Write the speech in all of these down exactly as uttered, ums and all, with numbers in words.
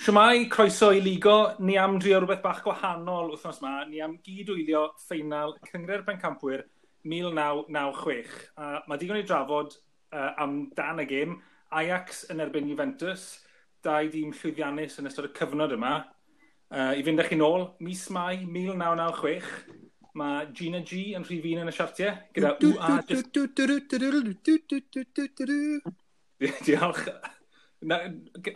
Shwmae, croeso i Ligo. Ni am drio rhywbeth bach gwahanol wythnos yma. Ni am gyd-wylio ffeinal Cynghrair Pencampwyr mil naw naw chwech. Uh, mae digon i drafod uh, am dan y gêm. Ajax yn erbyn Juventus, dau dîm llwyddiannus yn ystod y cyfnod yma. Uh, I fynd â chi nôl, mis Mai mil naw naw chwech, mae Gina G yn rhif un yn y siartiau, gyda U A. Just. Diolch. Na,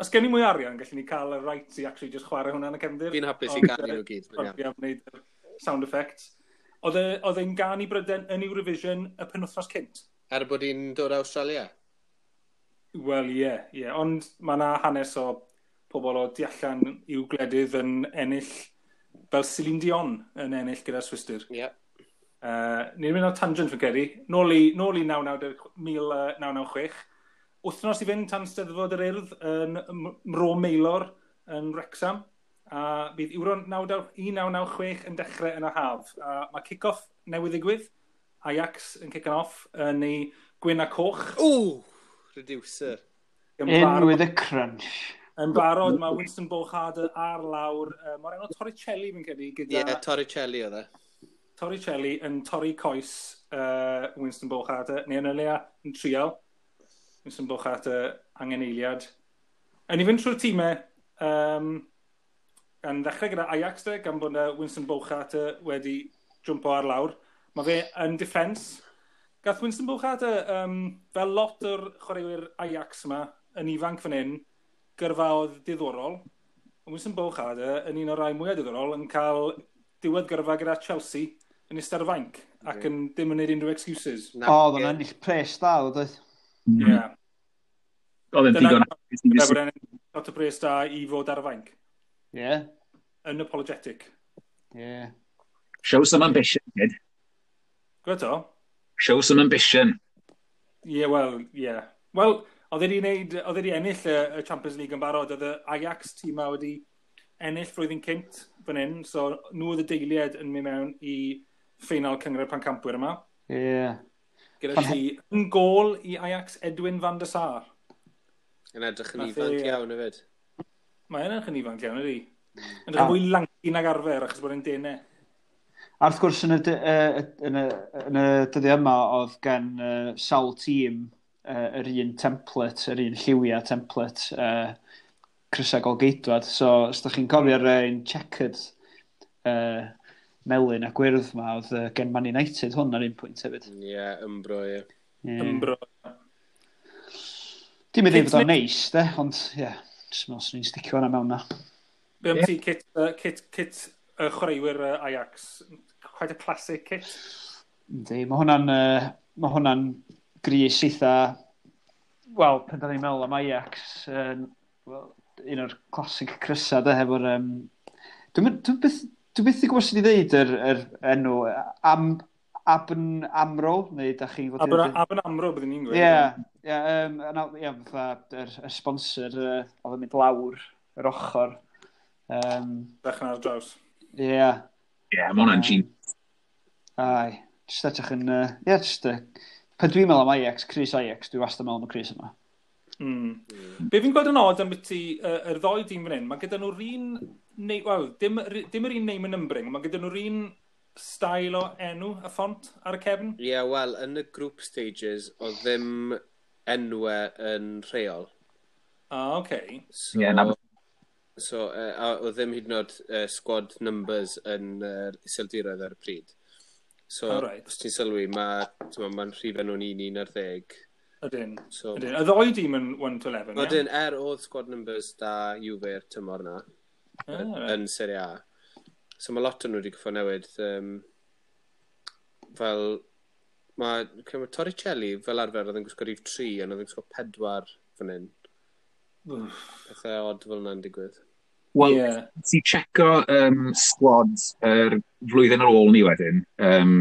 os gen i mwy o arian, gallwn ni cael y right i actually just chwarae hwnna yn y cefndir. Fi'n hapus i ganu nhw gyd. Ond fi am wneud y sound effects. Oedd e- oedd e'n gân i Bryden yn Eurovision y penwythnos cynt. Er bod hi'n dod o Australia? Wel, ie, yeah, ie. Yeah. Ond mae yna hanes o pobl o du allan i'w gwledydd yn ennill, fel Celine Dion yn ennill gyda'r Swistir. Ie. Yeah. Uh, ni'n mynd o tangent fi'n credu. Nôl i, nôl i mil naw naw chwech. Wythnos i fynd tan Steddfod yr Urdd yn M- Mro Maelor yn Wrexham. A bydd Euro un naw naw chwech yn dechrau yn y haf. A mae kick-off newydd ddigwydd. Ajax yn kicking off yn ei gwyn a coch. Ooh, reducer. Yn In barod, with a crunch. Yn barod mae Winston Bogarde ar lawr. Uh, Mae'r enw Torricelli fi'n credu Ie, gyda yeah, Torricelli oedd e. Torricelli yn torri coes uh, Winston Bogarde, neu yn y leia yn trial. Winston Bogarde angen eiliad. Yn i fynd trwy'r tîmau, um, gan ddechrau gyda Ajax de, gan bod yy Winston Bogarde wedi jwmpo ar lawr. Mae fe yn defence. Gath Winston Bogarde, um, fel lot o'r chwaraewyr Ajax yma, yn ifanc fan hyn, gyrfaoedd diddorol. Ond Winston Bogarde, yn un o'r rai mwyaf diddorol, yn cael diwedd gyrfa gyda Chelsea yn eistedd ar y fainc ac yn dim yn gwneud unrhyw excuses. Na, O, oedd o'n ennill pres da, oedd oedd. Ie. Yeah. Oedd e'n Dyna ddigon. Dyna bod e'n lot o pres da i fod ar y fainc. Ie, Unapologetic. Ie. Show some ambition, kid. Gwyd o? Show some ambition. Ie, yeah, wel, ie. Yeah. Wel, oedd wedi wneud, oedd wedi ennill y, y Champions League yn barod. Oedd y Ajax tîm ma wedi ennill flwyddyn cynt fan hyn, so nhw oedd y deiliad yn mynd mewn i ffeinal Cynghrair Pencampwyr yma. Ie. Gyda Pan- ti yn gôl i Ajax Edwin van der Sar. Yn edrych yn Nath ifanc e- iawn hefyd. Mae yn edrych yn ifanc iawn, ydy. Yn edrych yn fwy lanky nag arfer, achos bod e'n denau. A wrth gwrs, yn y, dy- yy, yn y, yn y dyddiau yma, oedd gen uh, sawl tîm uh, yr un template, yr un lliwiau template, uh, crysau golgeidwad. So, os ydych chi'n cofio'r un checkered uh, melyn a gwyrdd ma, oedd uh, gen Man United hwn ar un pwynt hefyd. Ie, yeah, Umbro, ie. Yeah. Umbro. Dim yn dweud bod o'n neis, de, ond ie, yeah, jyst meddwl swn i'n sticio hwnna mewn na. Be am ti, kit, uh, kit, kit uh, chwaraewyr uh, Ajax? Quite a classic kit. Yndi, mae hwnna'n uh, ma hwnna'n grys eitha, wel, pan da ni'n meddwl am Ajax, uh, well, un o'r classic crysa, de, hefo'r... Um, dwi'n dwi byth, dwi byth i gwybod sut i ddeud yr, yr enw, am, A B N Amro, neu da chi'n fod i A B N, A B N Amro, byddwn ni'n gweud. Ie, ie, yym, yna- ie, fatha, yr, yr sponsor uh, oedd yn mynd lawr yr ochr. Um, Dechrau ar draws. Ie, yeah. Ie, yeah, mae hwnna'n genius. Ai, jyst edrych yn... Ie, uh, yeah, jyst... Uh, pan dwi'n meddwl am Ajax, crys Ajax, dwi wastad yn meddwl am y crys yma. Mm. Be fi'n gweld yn odd am byti uh, yr ddou dîm fan hyn, mae gyda nhw'r un, neu, wel, dim, dim yr un name and numbering, mae gyda nhw'r un style o enw a ffont ar y cefn. Ie, yeah, wel, yn y group stages, oedd ddim enwau yn rheol. Ah, oce. Okay. So, Ie, na- so uh, a oedd ddim hyd yn oed uh, squad numbers yn yr uh, Iseldiroedd ar y pryd. So, Oh, reit. os ti'n sylwi, mae ma rhif nhw'n un un ar ddeg. Ydyn. So, Ydyn. Y ddou dîm yn one to eleven, ie? Wedyn, er oedd squad numbers da Juve'r tymor na, Ah, reit. yn Serie A. So mae lot o'n nhw wedi goffo newid. Um, fel, mae, mae Torricelli fel arfer oedd yn gwisgo rhif tri, ond oedd yn gwisgo pedwar fan hyn. Wff. Pethau odd fel yna'n digwydd. Wel, Ie. ti checo um, squad yr flwyddyn ar ôl ni wedyn, um,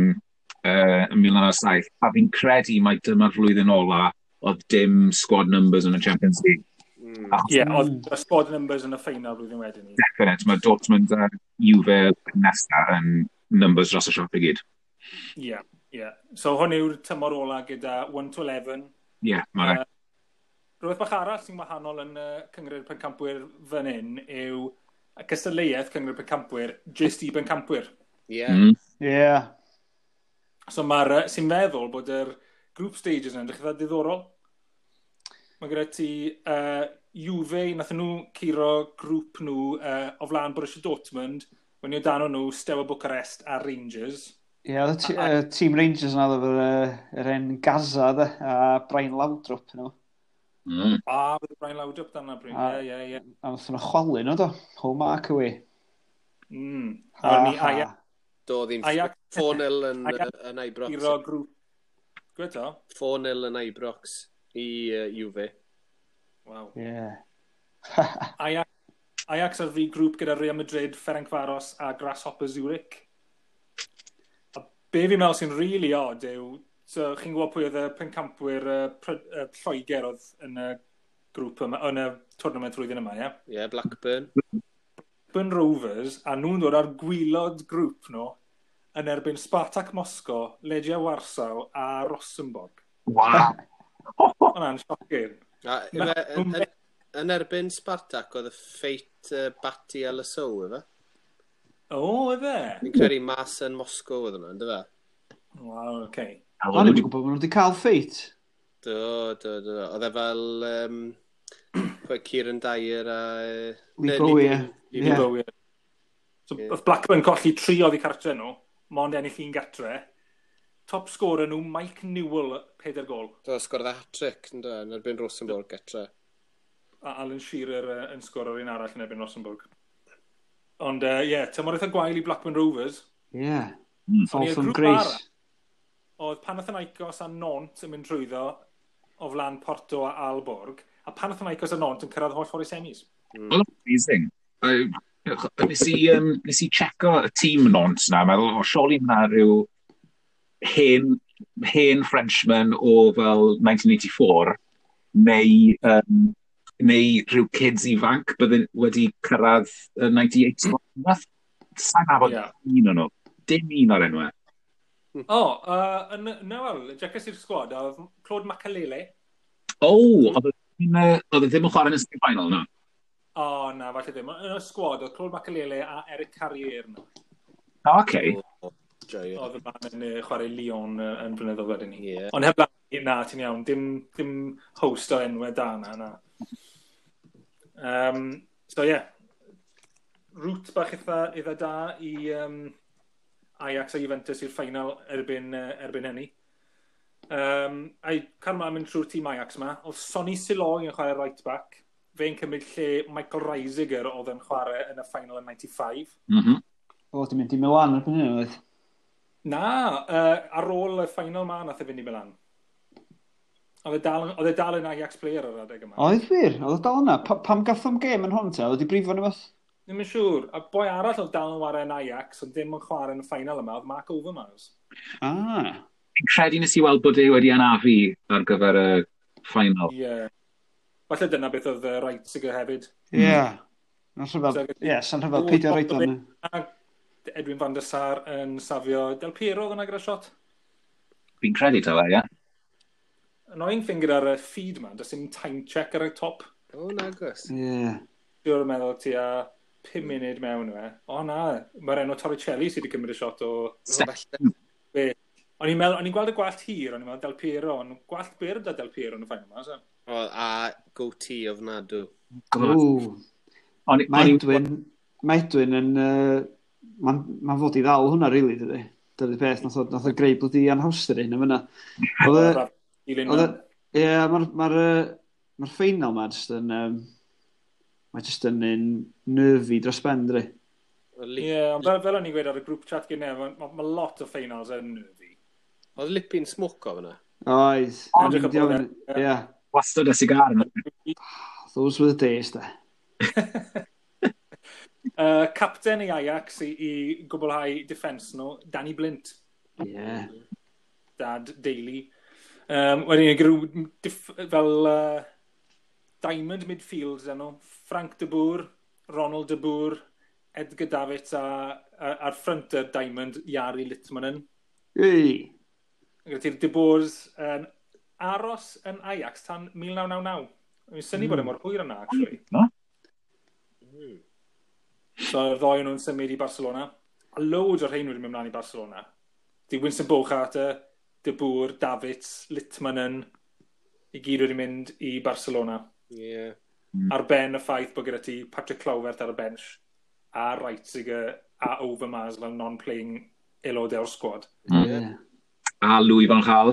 uh, yn mil naw naw saith, a fi'n credu mai dyma'r flwyddyn ola oedd dim squad numbers yn y Champions League. Mm. Achos Ie, oedd y squad numbers yn y ffeinal blwyddyn wedyn ni. Definite, mae Dortmund a Juve nesa yn numbers dros y siop i gyd. Ie, ie. So hwn yw'r tymor ola gyda one to eleven. Ie, yeah, mae'n Yy, Rhywbeth bach arall sy'n wahanol yn uh, Cynghrair Pencampwyr fan hyn yw y cystadleuaeth Cynghrair Pencampwyr jyst i bencampwyr. Ie. Mm. Yeah. So mae'r, uh, sy'n meddwl bod yr group stages yn edrych eitha diddorol. Mae gyda ti uh, Juve, nath nhw curo grŵp nhw uh, o flaen Borussia Dortmund, wedyn o dan nhw Steaua Bucharest a Rangers. Ie, oedd y t- yy, tîm Rangers yna oedd efo'r yy, yr en Gaza, de, a Brian Laudrup, nhw. Mm. A, bydd Brian Laudrup dan na, Bryn. A- Ie, ie, ie. A nath nhw chwalu nhw, do. Home mark away. Mm. A wedyn ni Ajax Do, ddim Ajax four nil yn, Ajax yn Ibrox. curo grŵp. Gwed to? four nil yn Ibrox i uh, Juve. Waw. Ie. Ajax, Ajax ar fi grŵp gyda Real Madrid, Ferencvaros a Grasshopper Zurich. A be fi'n meddwl sy'n really odd yw, so chi'n gwybod pwy oedd y pencampwyr uh, Pry- uh, Lloegr oedd yn y grŵp yma, yn y tournament flwyddyn yma, ie? Ie, yeah, Blackburn. Blackburn Rovers, a nhw'n dod ar gwaelod grŵp nhw yn erbyn Spartak Moscow, Legia Warsaw a Rosenborg. Wow. Hwna'n shocking. A, Na, ife, yn, yn, yn erbyn Spartak oedd y ffeit uh, Batty a Le Saux, ife? O, ife? Fi'n credu mas yn Moscow oedd hwnna, ynddo fe? Waw, oce. Okay. O'n i'n gwybod bod nhw wedi cael ffeit. Do, do, do. Oedd e fel um, pwy, Kieran Dyer a yy, Lee ne, Bowie, ie. Lee Ie. Bowie. So, Ie. oedd Blackburn colli tri oddi cartre nhw, mond ennill un gatre. Top scorer nhw, Mike Newell, peder gol. Do, sgorodd e hat-trick, ynddo, yn erbyn Rosenborg gatre. A Alan Shearer uh, yn sgoro'r un arall yn erbyn Rosenborg. Ond, ie, uh, yeah, tymor eitha gwael i Blackburn Rovers. Ie. Mm. Fall Ond i'r from grŵp grace. arall, oedd Panathinaikos a Nantes yn mynd trwyddo o flaen Porto a Aalborg, a Panathinaikos a Nantes yn cyrraedd holl ffordd i semis. Oedd o'n amazing. Uh, nes i, um, nes i checo y tîm Nantes na, meddwl, o, surely ma' rhyw hen, hen Frenchman o fel nineteen eighty-four, neu, um, neu rhyw kids ifanc bydde wedi cyrraedd y ninety-eight squad. Sa'n nabod Ie. un o'n nhw. Dim un o'r enwau. O, oh, uh, yn, na wel, jecas i'r sgwad, a oedd Claude Makelele. O, oedd e ddim, yy, oedd e ddim yn chwarae yn y semi-final, no? O, oh, na, falle ddim. Yn y sgwad, oedd Claude Makelele a Eric Carrier yno. O, okay. O, joio. Oedd y man yn yy, chwarae Lyon yy, yn blynyddoedd wedyn ni. Ie. Ond heb na, ti'n iawn, dim, dim host o enwau da na, na. Um, so ie, yeah. Route bach eitha, eitha da i um, Ajax a Juventus i'r final erbyn, uh, erbyn hynny. Um, a i cael ymlaen mynd trwy'r tîm Ajax yma, oedd Sonny Silooy yn chwarae right back. Fe'n cymryd lle Michael Reiziger oedd yn chwarae yn y final yn ninety-five. Mm -hmm. O, di mynd i Milan erbyn hyn, oedd. Na, uh, ar ôl y final ma nath e fynd i Milan. Oedd e dal, oedd e dal yn Ajax player ar adeg yma. Oedd wir, oedd o dal yna. Pa, pam gath o'm gêm yn hwn te? Oedd wedi brifo neu beth? Ddim yn siŵr. A boi arall oedd dal yn chwarae yn Ajax, ond ddim yn chwarae yn y final yma, oedd Mark Overmars. Ah. Fi'n credu nes i weld bod e wedi anafu ar gyfer y final. Ie. Yeah. Falle dyna beth oedd uh, Reiziger hefyd. Ie. Yeah. Na'n rhyfedd, So, ie, sa'n rhyfedd peidio roed o'n. A Edwin van der Sar yn safio Del Piero oedd yna gyda shot. Fi'n credu taw e, ie. Annoying thing gyda'r uh, feed ma, does dim time check ar y top. O, nagos. Ie. Dwi'n meddwl tua pum munud mewn yw e. O na, mae'r enw Torricelli sydd wedi cymryd y shot o. O, falle. Be. O'n i'n meddwl, o'n i'n gweld y gwallt hir, o'n i'n meddwl Del Piero, ond gwallt byr da Del Piero yn y final ma, so. O, a goatee ofnadw. Ww. O'n i- Mae o'n i- Edwin, mae Edwin yn... Uh, Mae'n ma fod i ddal hwnna, really, dydy. Dydy'r peth, nath o, nath o greu bloody anhawster i hyn yma. Oedd e, Dilyn oedd e, ie, mae'r ma ma ffeinal ma jyst yn... Um, mae jyst yn un nervy dros ben, dydy. Oedd Lip- Ie, ond fel, fel o'n i'n gweud ar y group chat gyda, mae ma, ma lot o finals yn nervy. Oedd Lippi'n smoco fyna. Oedd. Edrych ar bod e. Ie. Wastad y sigar yna. Those were the days, de. Uh, capten i Ajax i, i gwblhau defence nhw, Danny Blind, Ie. Dad Daley. Um, wedyn, gyda dif- fel uh, Diamond midfields enw, Frank de Boer, Ronald de Boer, Edgar Davids a, a, a'r front y Diamond, Jari Litmanen. Ei. Gyda ti'r de Boers yn aros yn Ajax tan mil naw naw naw. Fi'n synnu mm. bod e mor hwyr yna, actually. No? Mm. So, y ddoi nhw'n symud i Barcelona. A loads o'r rhain wedi mynd mlaen i Barcelona. Di Winston Bogarde, De Boer, Davids, Litmanen, i gyd wedi mynd i Barcelona. Yeah. Mm. Ar ben y ffaith bod gyda ti Patrick Kluivert ar y bench, a Reiziger a Overmars fel non-playing aelodau o'r squad. Mm. Yeah. A Louis van Gaal.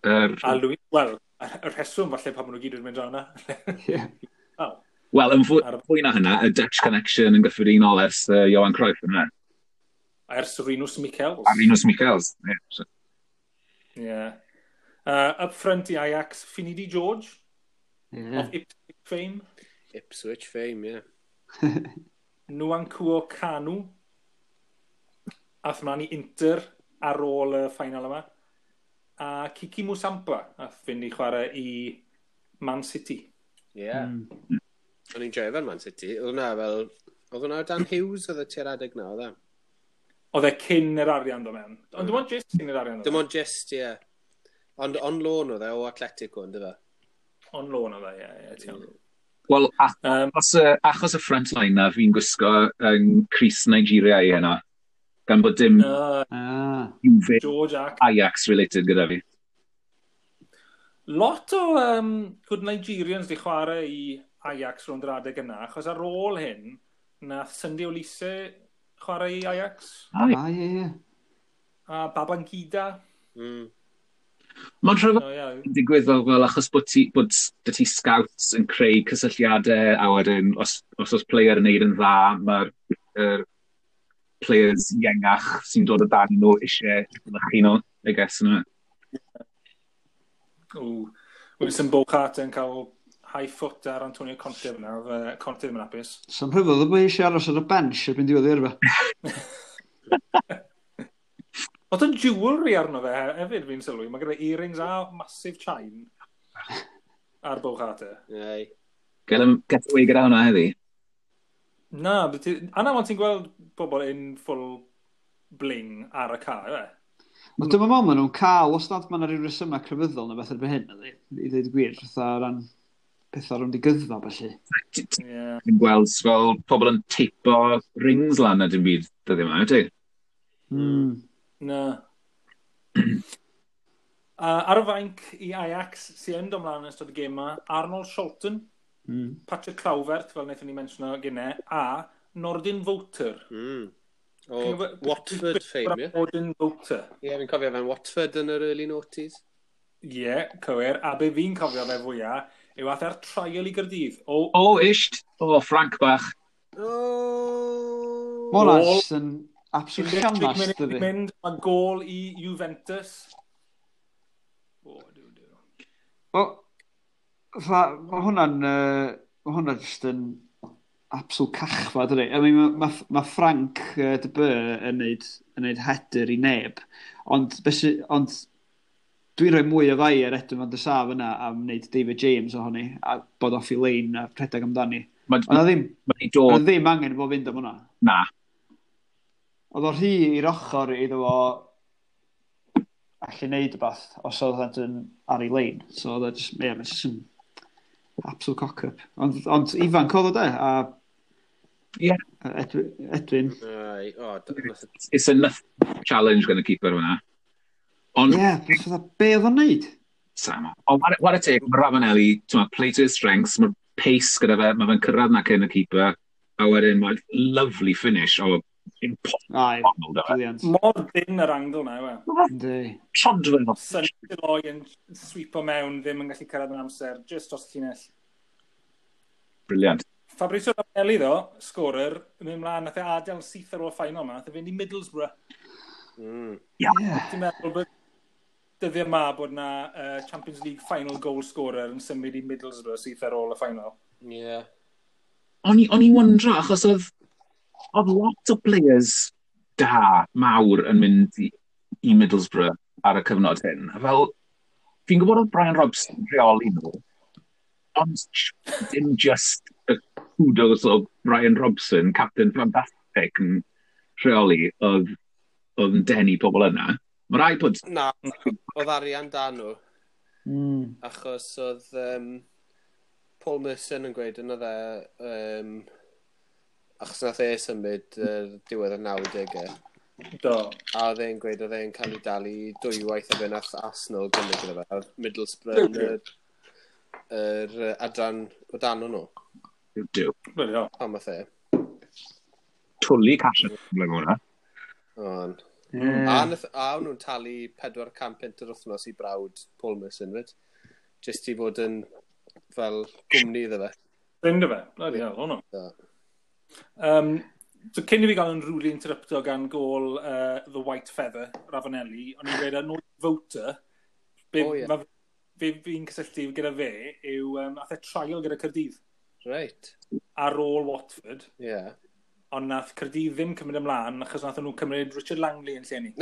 Er... A Louis, wel, y rheswm falle pan maen nhw gyd wedi mynd draw yna. Yeah. Wel, Wel, yn fwy, Ar- fwy na hynna, y Dutch Connection yn gyffredinol ers uh, Johan Cruyff yna. Ers Rinus Michels. A Rinus Michels. Yeah, so. Yeah. Uh, up front i Ajax, Finidi George, Yeah. of Ipswich fame. Ipswich fame, yeah. Nwankwo Kanu. Ath mlaen i Inter ar ôl y final yma. A Kiki Musampa ath fynd i chwarae i Man City. Yeah. Mm. O'n i'n joio fe'n Man City. Oedd hwnna fel... Oedd hwnna Dan Hughes oedd y tua'r adeg na, oedd e? Oedd e cyn yr arian do mewn. Ond dim ond just cyn yr arian do Dim mewn. ond just, ie. Yeah. Ond on loan oedd e o Atletico, ynddo fe? On loan oedd e, ie, ie, ti'n iawn. Wel, Um, achos, y, achos y front line na fi'n gwisgo yn crys Nigeria i heno, gan bod dim uh, Ah. Juve George ac Ajax related gyda fi. Lot o um, good Nigerians di chwarae i Ajax rownd yr adeg yna, achos ar ôl hyn, nath Sunday Oliseh chwarae i Ajax, Ai. Ah, ie, ie. a Babangida. Mm. Mae'n rhyfedd So, yeah. yn digwydd fel, fel achos bod ti, bod dy ti scouts yn creu cysylltiadau a wedyn os, os oes player yn neud yn dda, mae'r er, players iengach sy'n dod o dan nhw eisiau mynychu nhw, I guess, yna. Ww. Winston Bogarde yn cael high foot ar Antonio Conte fyna, oedd yy, Conte ddim yn hapus. So'n rhyfedd o bod eisiau aros ar y bench erbyn diwedd yr yrfa. Oedd yn jewellery arno fe hefyd, fi'n sylwi. Mae gyda earrings a massive chain ar Bogarde. Ei. Gael em get away gyda hwnna heddi. Na, but ti- a na, ond ti'n gweld pobl in full bling ar y car, e? Ond dyma meddwl maen nhw'n cael, os nad maen rhyw resymau crefyddol neu beth erbyn hyn, ydi, i ddweud y gwir, fatha o ran pethau rownd i gyddfa, felly. Yeah. Ti'n gweld fel pobl yn teipo rings lan a dim byd dyddiau yma, wyt ti? Mm. Na. Uh, ar y fainc i Ajax sy'n yn dod mlaen yn ystod y gêm yma, Arnold Scholten, Mm. Patrick Kluivert, fel wnaethon ni mentiono gynne, a Nordin Wouter. Mm. O Chi'n gwbod- Watford fame, ie? Nordin Wouter. Ie, fi'n cofio fe'n Watford yn yr early noughties. Ie, yeah, cywir. A be fi'n cofio fe fwyaf, yw ath ar trial i Gaerdydd. O, O, isht! O, Frank bach. Oh! Ma' hwnna Gôl. jyst yn absolute un deg tri llanast, munud i dydi. mynd, mae gôl i Juventus. O, diw, diw. Wel, fatha, ma' hwnna'n, uh, ma' hwnna jyst yn absolute cachfa, dydi. I mean, ma, ma, ma Frank uh, de Boer yn neud, yn neud header i neb, ond, be sy, ond dwi'n rhoi mwy o fai ar Edwin van der Sar yna am wneud David James ohoni, a bod off i lein a rhedeg amdani. Mae Ond oedd ddim, wedi dod oedd ddim angen fo fynd am hwnna. na. Oedd o rhy i'r ochr iddo fo allu neud rhywbeth os oedd yn ar ei lein. So oedd o just, ie, yeah, just yn absolute cock-up. Ond, ond ifanc oedd o de, a Ie. Edwin, Edwin. Ai, o, d- nath y- It's a nothing challenge gan y keeper hwnna. Ond, Ie, yeah, fatha, be oedd o'n neud? Sam, ond what, what a take, mae Ravanelli, ti'n ma, play to his strengths, mae'r pace gyda fe, mae fe'n cyrraedd na cyn y keeper, a wedyn mae'n lovely finish o impossible Ai, da fe. brilliant. Mor dyn yr angle na, yw e. Yndi. Trodfedd o Sonny Silooy yn sweepo mewn, ddim yn gallu cyrraedd yn amser, just dros y llinell. Brilliant. Fabrizio Ravanelli, ddo, scorer, yn mynd mlaen, nath e adael syth ar ôl final yma, nath e fynd i Middlesbrough. Mm. Ie. Ti'n meddwl bod dyddiau yma bod na uh, Champions League final goal scorer yn symud i Middlesbrough syth ar ôl y final. Ie. O'n i, o'n i wondro, achos oedd, oedd lot o players da, mawr yn mynd i, i Middlesbrough ar y cyfnod hyn. A fel, fi'n gwybod oedd Brian Robson yn rheoli nhw, ond dim just y kudos o Brian Robson, captain fantastic yn rheoli, oedd, oedd yn denu pobl yna. Mae rhaid bod... Na, oedd arian da nhw, Mm. achos oedd um, Paul Merson yn gweud yna dde, um, achos nath e symud uh, diwedd y nawdegau. Do. A oedd e'n gweud oedd e'n cael ei dalu dwywaith a fe nath Arsenal gynnig iddo fe. A oedd Middlesbrough yn yr, yr adran o dan nhw. Duw. Bloody hell. Pam nath e. Twlu cash yn ymlaen hwnna. On. Ie. A, nath, a o'n nhw'n talu pedwar can punt yr wythnos i brawd Paul Merson, fyd. Just i fod yn fel gwmni iddo fe. Ffrind o fe. Bloody hell, hwnnw. Do. Um, so cyn i fi gael yn rudely interrupto gan gol uh, The White Feather, Ravanelli, o'n i'n gweud yn ôl voter, be, O, ie. ma, fe fi'n cysylltu gyda fe yw, um, ath e trial gyda Caerdydd Reit. ar ôl Watford, Ie. Yeah. ond nath Caerdydd ddim cymryd ymlaen achos nath nhw cymryd Richard Langley yn lle ni.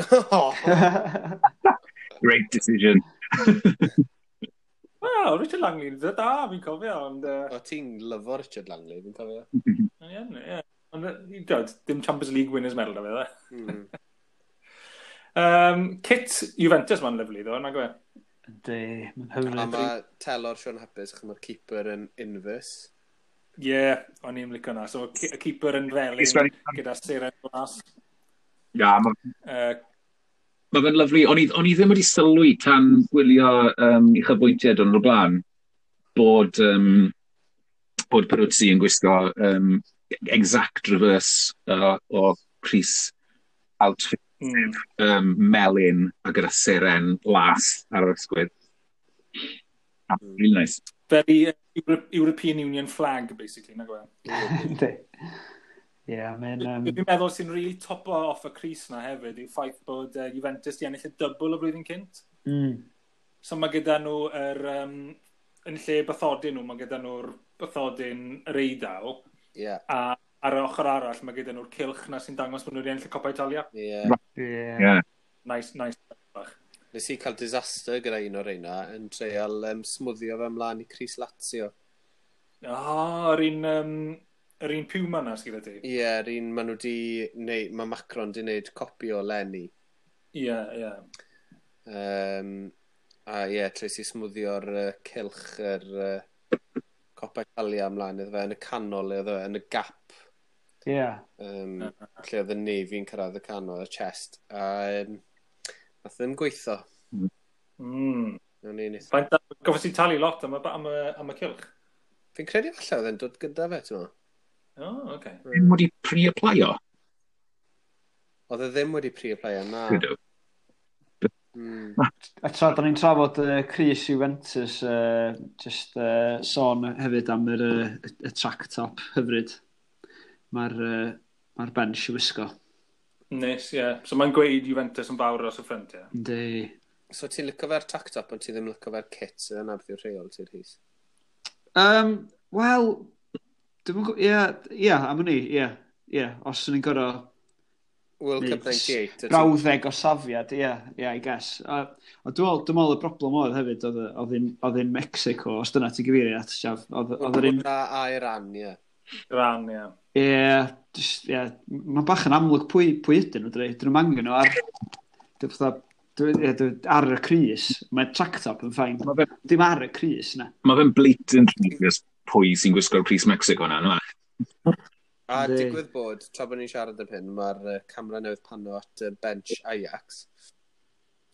Great decision. Wel, Richard Langley, da, da fi'n cofio, ond... Uh, O, ti'n lyfo Richard Langley, fi'n cofio. Ie, ie. Ond, yy, dod, dim Champions League winners medal da fe, dde. Mm. Um, kit Juventus ma'n lyfli, ddo, nag yw e? Yndi, mae'n A hyfryd. mae telor Sean Hapus, achos mae'r keeper yn inverse. Ie, yeah, o'n i'n licio na. So, y keeper yn felyn Ysgrifennu- gyda seren glas. Ia, mae Uh, ma fe'n lyfli. O'n i, o'n i ddim wedi sylwi tan gwylio um, uchafbwyntiau don o'r blaen bod, um, bod Peruzzi yn gwisgo um, exact reverse uh, o crys outfit mm. um, melyn a gyda seren las ar yr ysgwydd. Ah, really nice. Very uh, Euro European Union flag, basically, nag yw e? Yndi. Ie, mae'n... Um, Dwi'n meddwl sy'n really topo off y crys na hefyd yw ffaith bod uh, Juventus di ennill y double y flwyddyn cynt. mm, So mae gyda nhw yr, um, yn lle bathodyn nhw, mae gyda nhw'r bathodyn yr Eidal, Ie. Yeah. a ar y ochr arall mae gyda nhw'r cylch na sy'n dangos bod nhw wedi ennill y Coppa Italia. Ie. Yeah. ie. Yeah. Nice, nice. Bach. Nes i cael disaster gyda un o'r reina yn treial um, smwddio fe ymlaen i crys Lazio. Ah, yr un, um, yr un Puma na sydd gyda ti. Ie, yeah, yr un maen nhw di neud, mae Macron di wneud copi o Lenny. Ie, ie. Um, a ie, yeah, treis i smwddio'r uh, cylch yr uh, Coppa Italia ymlaen iddo fe yn y canol iddo fe, yn y gap. Ie. Um, lle oedd y Navy'n cyrraedd y canol, y chest. A um, nath ddim gweithio. Mm. O'n i'n eitha- Faint, gofys i talu lot am y, am y, am y cylch? Fi'n credu falle oedd e'n dod gyda fe, ti'n meddwl? O, oh, oce. Ddim wedi pre-applio. Oedd e ddim wedi pre-applio, na. Ydw. Mm. A tra da ni'n trafod uh, crys Juventus, uh, just uh, sôn hefyd am yr, uh, y, y track top hyfryd. Mae'r uh, mae'r bench i wisgo. Nes, ie. Yeah. So mae'n gweud Juventus yn fawr dros y ffrynt, ie. Yndi. So ti'n licio fe'r track top, ond ti ddim licio fe'r kit, so yna beth yw'r rheol ti'n Rhys. Um, Wel, dwi'n gwybod, ie, ie, am hynny, ie, ie, os o'n i'n gorau World Neu Cup ninety-eight. wyt ti- brawddeg o safiad, ie, ie, I guess. A, a dwi'n meddwl, dwi'n meddwl y broblem oedd hefyd, oedd oedd yn, oedd yn Mexico, os dyna ti'n gyfeirio at, Siaf, oedd oedd yr un. A, a Iran, ie. Iran, ie. Ie, just, ie, mae'n bach yn amlwg pwy, pwy ydyn nhw, dwi. Dyn nhw'n angen nhw ar, dwi fatha, dwi, ie, dwi, ar y crys, mae track top yn fine. Mae fe, Dim ar y crys, na. ma fe'n blatant obvious pwy sy'n gwisgo'r crys Mexico na, no? A Yndi. digwydd bod, tra bod ni'n siarad am hyn, mae'r uh, camera newydd pano at uh, bench Ajax.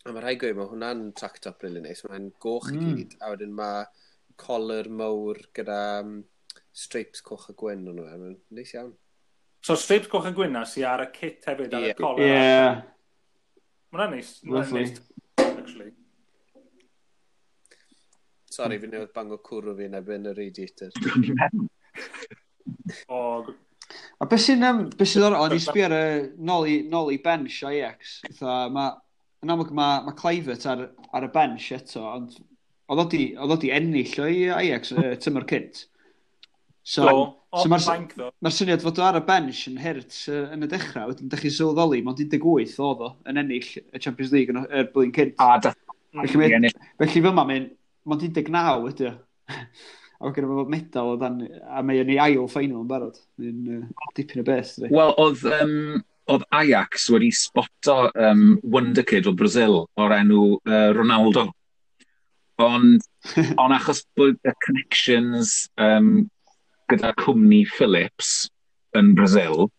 A mae rhaid gweud, mae hwnna'n track top really nice. Mae'n goch i Mm. gyd, a wedyn mae collar mawr gyda um, stripes coch a gwyn o'n nhw. Mae'n neis iawn. So stripes coch a gwyn na sy ar y kit hefyd, ar Ie. y collar. Ie, Ma' hwnna'n neis. Ma' hwnna'n Lovely. neis, actually. Sorry, fi newydd bango cwrw fi yn erbyn y radiator. O, g- A beth sy'n, um, beth sy'n ddorol, o'n i sbio ar y nôl i, nôl i bench Ajax. Fatha, ma, yn amlwg mae ma Kluivert ar, ar y bench eto, ond oedd o di, oedd o di ennill o'i Ajax uh, tymor cynt. So, do. O, so mae'r bank, ddo. mae'r syniad fod o ar y bench yn hurt uh, yn y dechrau, wedyn dych chi'n sylweddoli, mond un deg wyth oedd o yn ennill y Champions League yn y y blwyddyn cynt. A dath Felly, mae, ennill. felly fyma mae'n mond un deg naw ydy o. A mae gennym fo medal o dan, a mae yn ei ail final yn barod. Mae'n uh, dipyn o beth, dydi. Wel, oedd, um, oedd Ajax wedi sboto um, wonderkid o Brazil o'r enw uh, Ronaldo. Ond, on achos bod y connections um, gyda cwmni Philips yn Brazil,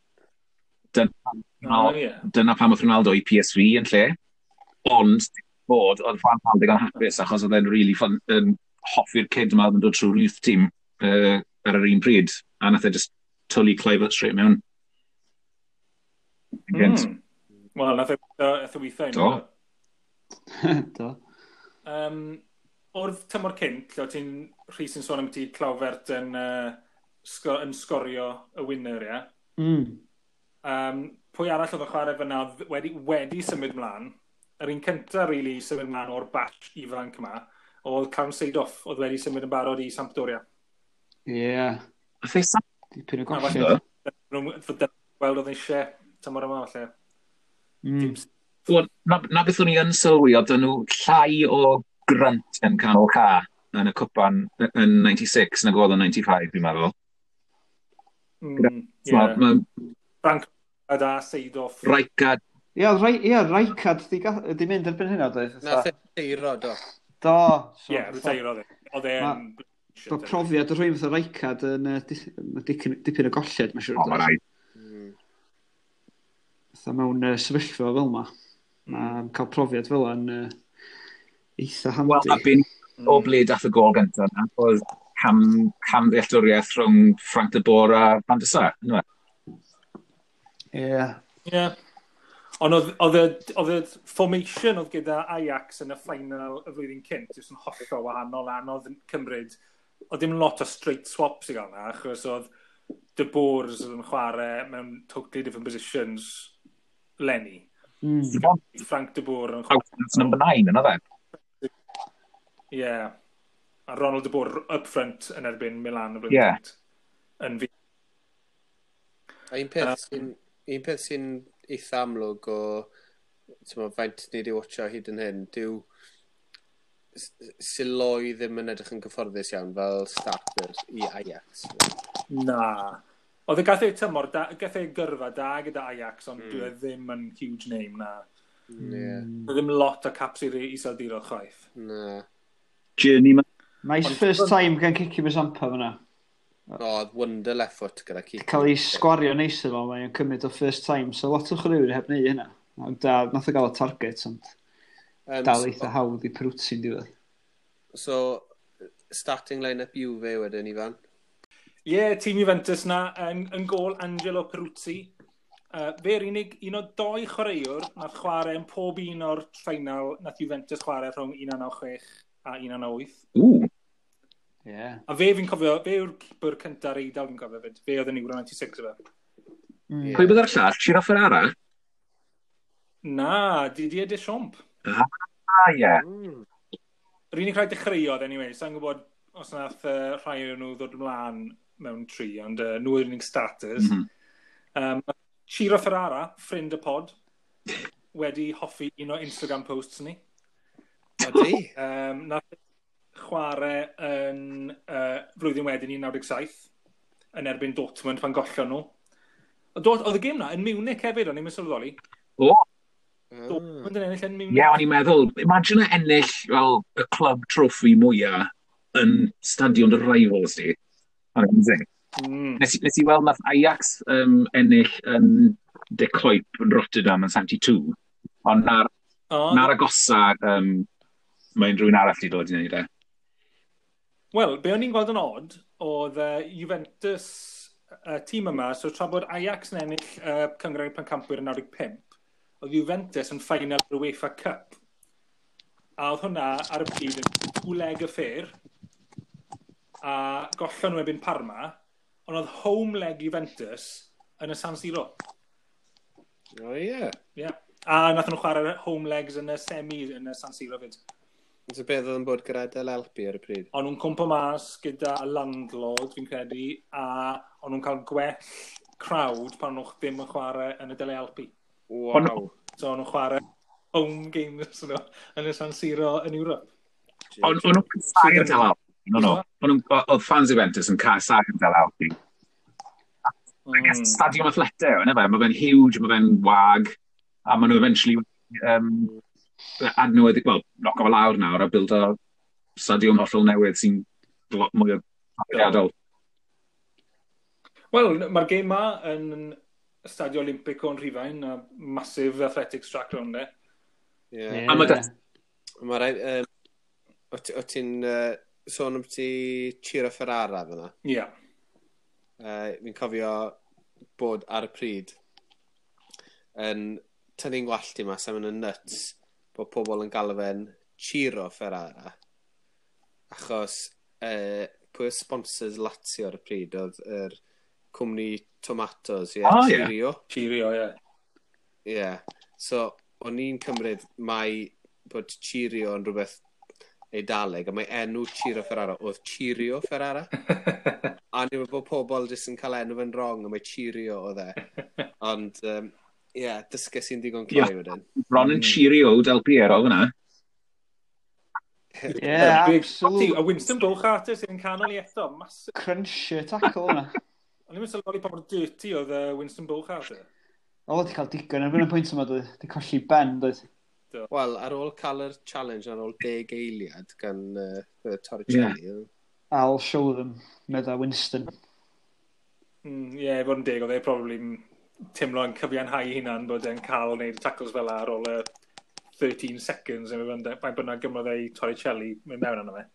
dyna, Oh, yeah. dyna pam oedd Ronaldo i P S V yn lle. Ond, bod, oedd Van Gaal digon hapus achos oedd e'n really fun, yn hoffi'r kid yma oedd yn dod trwy'r youth team uh, ar yr un pryd. A nath e just twlu Kluivert straight mewn. Mm. Mm. Wel, nath e nath e weithio. Do. Do. Um, o'r tymor cynt, lle o ti'n Rhys yn sôn am ti Kluivert yn, uh, sgo, yn sgorio y winner, ie? Mm. Um, pwy arall oedd yn chwarae fyna oedd wedi, wedi symud mlaen? Yr un cyntaf, really, i symud mlaen o'r batch ifanc yma, oedd Clarence Seedorf, oedd wedi symud yn barod i Sampdoria. Ie. Yeah. Nath e sa- Dipyn o A golled. falle- Weld oedd eisiau tymor yma, falle. Mm. Wel, na, na beth o'n i yn sylwi, oedd nhw llai o grunt yn canol ca yn y cwpan yn naw deg chwech nag oedd yn naw deg pump, fi'n meddwl. Mm, Yeah. yeah. Mae Frank a Seedorf. Rijkaard, Ie, oedd Rai- ie, Rijkaard di, ga- di mynd erbyn hynna, doedd? Nath e deiro, do. Do. So, Ie, reteirodd e. Oedd e'n Bod profiad o rhywun fatha Rijkaard yn uh, dipyn, dipyn o golled, mae'n siŵr. O, mae rhaid. Mm. Fatha mewn uh, sefyllfa fel yma. Mae cael profiad fel yna yn uh, eitha Wel, handi. a bin o ble dath y gol gyntaf, na, oedd cam, cam ddealltwriaeth rhwng Frank de Boer a Van der Sar, yndyfe? Ie. Ie. Ond oedd, oedd, y, oedd y formation oedd gyda Ajax yn y final y flwyddyn cynt, jyst yn hollol wahanol, anodd yn cymryd. Oedd dim lot o straight swaps i gael na, achos oedd De Boers oedd yn chwarae mewn totally different positions 'leni. Mm. Frank de Boer yn Out number nine, yna fe? Ie. Yeah. A Ronald de Boer up front yn erbyn Milan y flwyddyn Ie. cynt. Yn fi. A un peth sy'n un peth sy'n eitha amlwg o, t'mo, faint ni wedi watcho hyd yn hyn, dyw S- Silooy ddim yn edrych yn gyfforddus iawn fel starter i Ajax. Na. Oedd e gath ei tymor, da, gath ei gyrfa da gyda Ajax, ond mm. dwi e ddim yn huge name, na. Ie. Oedd ddim lot o caps i'r Iseldiroedd chwaith. Na. Journeyman. Nice Ond- first time gan Kiki Musampa fyna. O, oedd wonder left foot gyda Kiki. Cael ei sgwario neis efo, mae'n cymryd o first time. So lot o chwaraewyr heb wneud hynna. Ond uh, nath o gael y target, ond Um, dal eitha hawdd i Peruzzi'n diwedd. So, starting line-up Juve wedyn, Ifan. Ie, yeah, tîm Juventus na, yn, yn gôl Angelo Peruzzi. Uh, fe'r unig un o doi chwaraewr nath chwarae yn pob un o'r final nath Juventus chwarae rhwng un naw naw chwech a un naw naw wyth. Ww, Ie. Yeah. A fe fi'n cofio, fe yw'r keeper cynta'r Eidal fi'n cofio fyd. Fe oedd yn Euro naw chwech efo. Mm. Pwy bydd ar llall? Ciro Ferrara? Na, Didier Deschamps. Ah, ie. Mm. Yr unig rhai dechreuodd, anyway, sa'n gwybod os nath uh, rhai o'n nhw ddod ymlaen mewn tri, ond uh, nhw yw'r unig starters. Mm -hmm. Um, Ciro Ferrara, ffrind y pod, wedi hoffi un o Instagram posts ni. Ydy? Um, nath chwarae yn uh, flwyddyn wedyn un naw naw saith yn erbyn Dortmund pan gollon nhw. Oedd oedd y gêm na yn Munich hefyd, o'n i'n sylweddoli. O, Ah. Dortmund yn ennill yn Munich. ie, o'n i'n meddwl, imagine ennill fel y club trophy mwyaf yn stadion dy rivals di. Amazing. Mm. Nes, i- nes i weld nath Ajax um, ennill yn De Kuip yn Rotterdam yn seventy-two, ond na'r, O, na'r agosa um, mae'n rhywun arall i dod i wneud e. Wel, be o'n i'n gweld yn odd, oedd uh, Juventus, uh, tîm yma, so tra bod Ajax yn ennill uh, Cynghrair Pencampwyr yn naw deg pump, oedd Juventus yn final yr UEFA Cup. A oedd hwnna ar y pryd yn two-leg affair, a gollon nhw erbyn Parma, ond oedd home leg Juventus yn y San Siro. O, ie. Yeah. A nath nhw chwarae home legs yn y semi yn y San Siro fyd. So beth oedd yn bod gyda Delle Alpi ar y pryd? O'n nhw'n cwmpo mas gyda y landlord, fi'n credu, a o'n nhw'n cael gwell crowd pan nhw ddim yn chwarae yn y Delle Alpi. Waw. So o'n nhw'n chwarae home games nhw yn y San Siro yn Ewrop. O'n o'n nhw'n casáu'r Delle Alpi. No, no. O'n nhw'n- Oedd fans Juventus yn casáu'r Delle Alpi. I guess Mm. Stadiwm Atlete, yna fe, mae fe'n huge, mae fe'n wag, a maen nhw eventually um, adnewyddu, well, knock o lawr nawr a build o stadiwm hollol newydd sy'n lot mwy o profiadol. Wel, mae'r gêm ma yn Stadio Olimpico yn Rhufain, a massive athletics track rownd e. Yeah. A ma' da- Mae rai... Um, o ti- o ti'n uh, sôn am ti Ciro Ferrara fyna? Ie. Yeah. Uh, fi'n cofio bod ar y pryd yn tynnu'n gwallt i mas am yn y nuts bod pobl yn galw fe'n Ciro Ferrara, achos uh, pwy oedd sponsors Lazio ar y pryd oedd yr cwmni tomatoes, ie, yeah, Ah, ie. Cirio. Cirio, ie. Ie. Yeah. So, o'n i'n cymryd mai bod Cirio yn rhywbeth Eidaleg, a mae enw Ciro Ferrara oedd Cirio Ferrara. A ni'n meddwl bod pobl jyst yn cael enw fe'n wrong, a mae Cirio oedd e. Ond, um, ie, yeah, dysges i'n digon cloi Ie. wedyn. Bron yn Cirio Del Piero fyna. Yeah, Big- absolute A Winston Bogarde sy'n canol i eto. Massive. Cruncher tackle yna. O'n i'n sylweddoli pa mor dirty oedd uh, Winston Bogarde. O, wedi cael digon erbyn y pwynt yma, dwi. Di colli ben, dwi. Wel, ar ôl cael yr challenge ar ôl deg eiliad gan uh, Torricelli. Yeah. I'll show them, medda Winston. Mm, Ie, yeah, i fod yn deg, oedd e probably yn teimlo yn cyfiawnhau hunan bod e'n cael wneud tackles fel ar ôl y thirteen seconds, neu mae'n faint bynnag gymrodd ei Torricelli mynd mewn arno fe.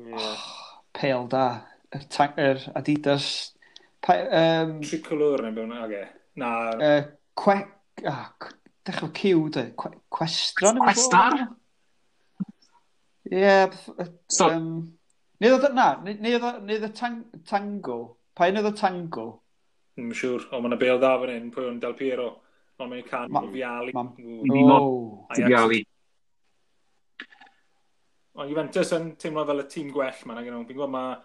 Yeah. Pêl da. Yr, ta- yr Adidas. Pa, um, Tricolor neu beth, oce. Na, uh, que, ah, c- dechrau Q, dwi. Que, Questra? neu beth Questar? oedd o? Ie. beth- So- Um, neu oedd o- na, neu neu oedd o- neu oedd y tang, Tango. Pa un oedd y Tango? Ddim yn siŵr, ond mae'n bêl dda fan hyn, pwy o'n Del Piero. Ond mae'n can Ma- Vialli. ma- Ww. Fi mo- Oh. Ajax. Vialli. Ond Juventus yn teimlo fel y tîm gwell ma, nag ydyn nhw. Fi'n gwybod mae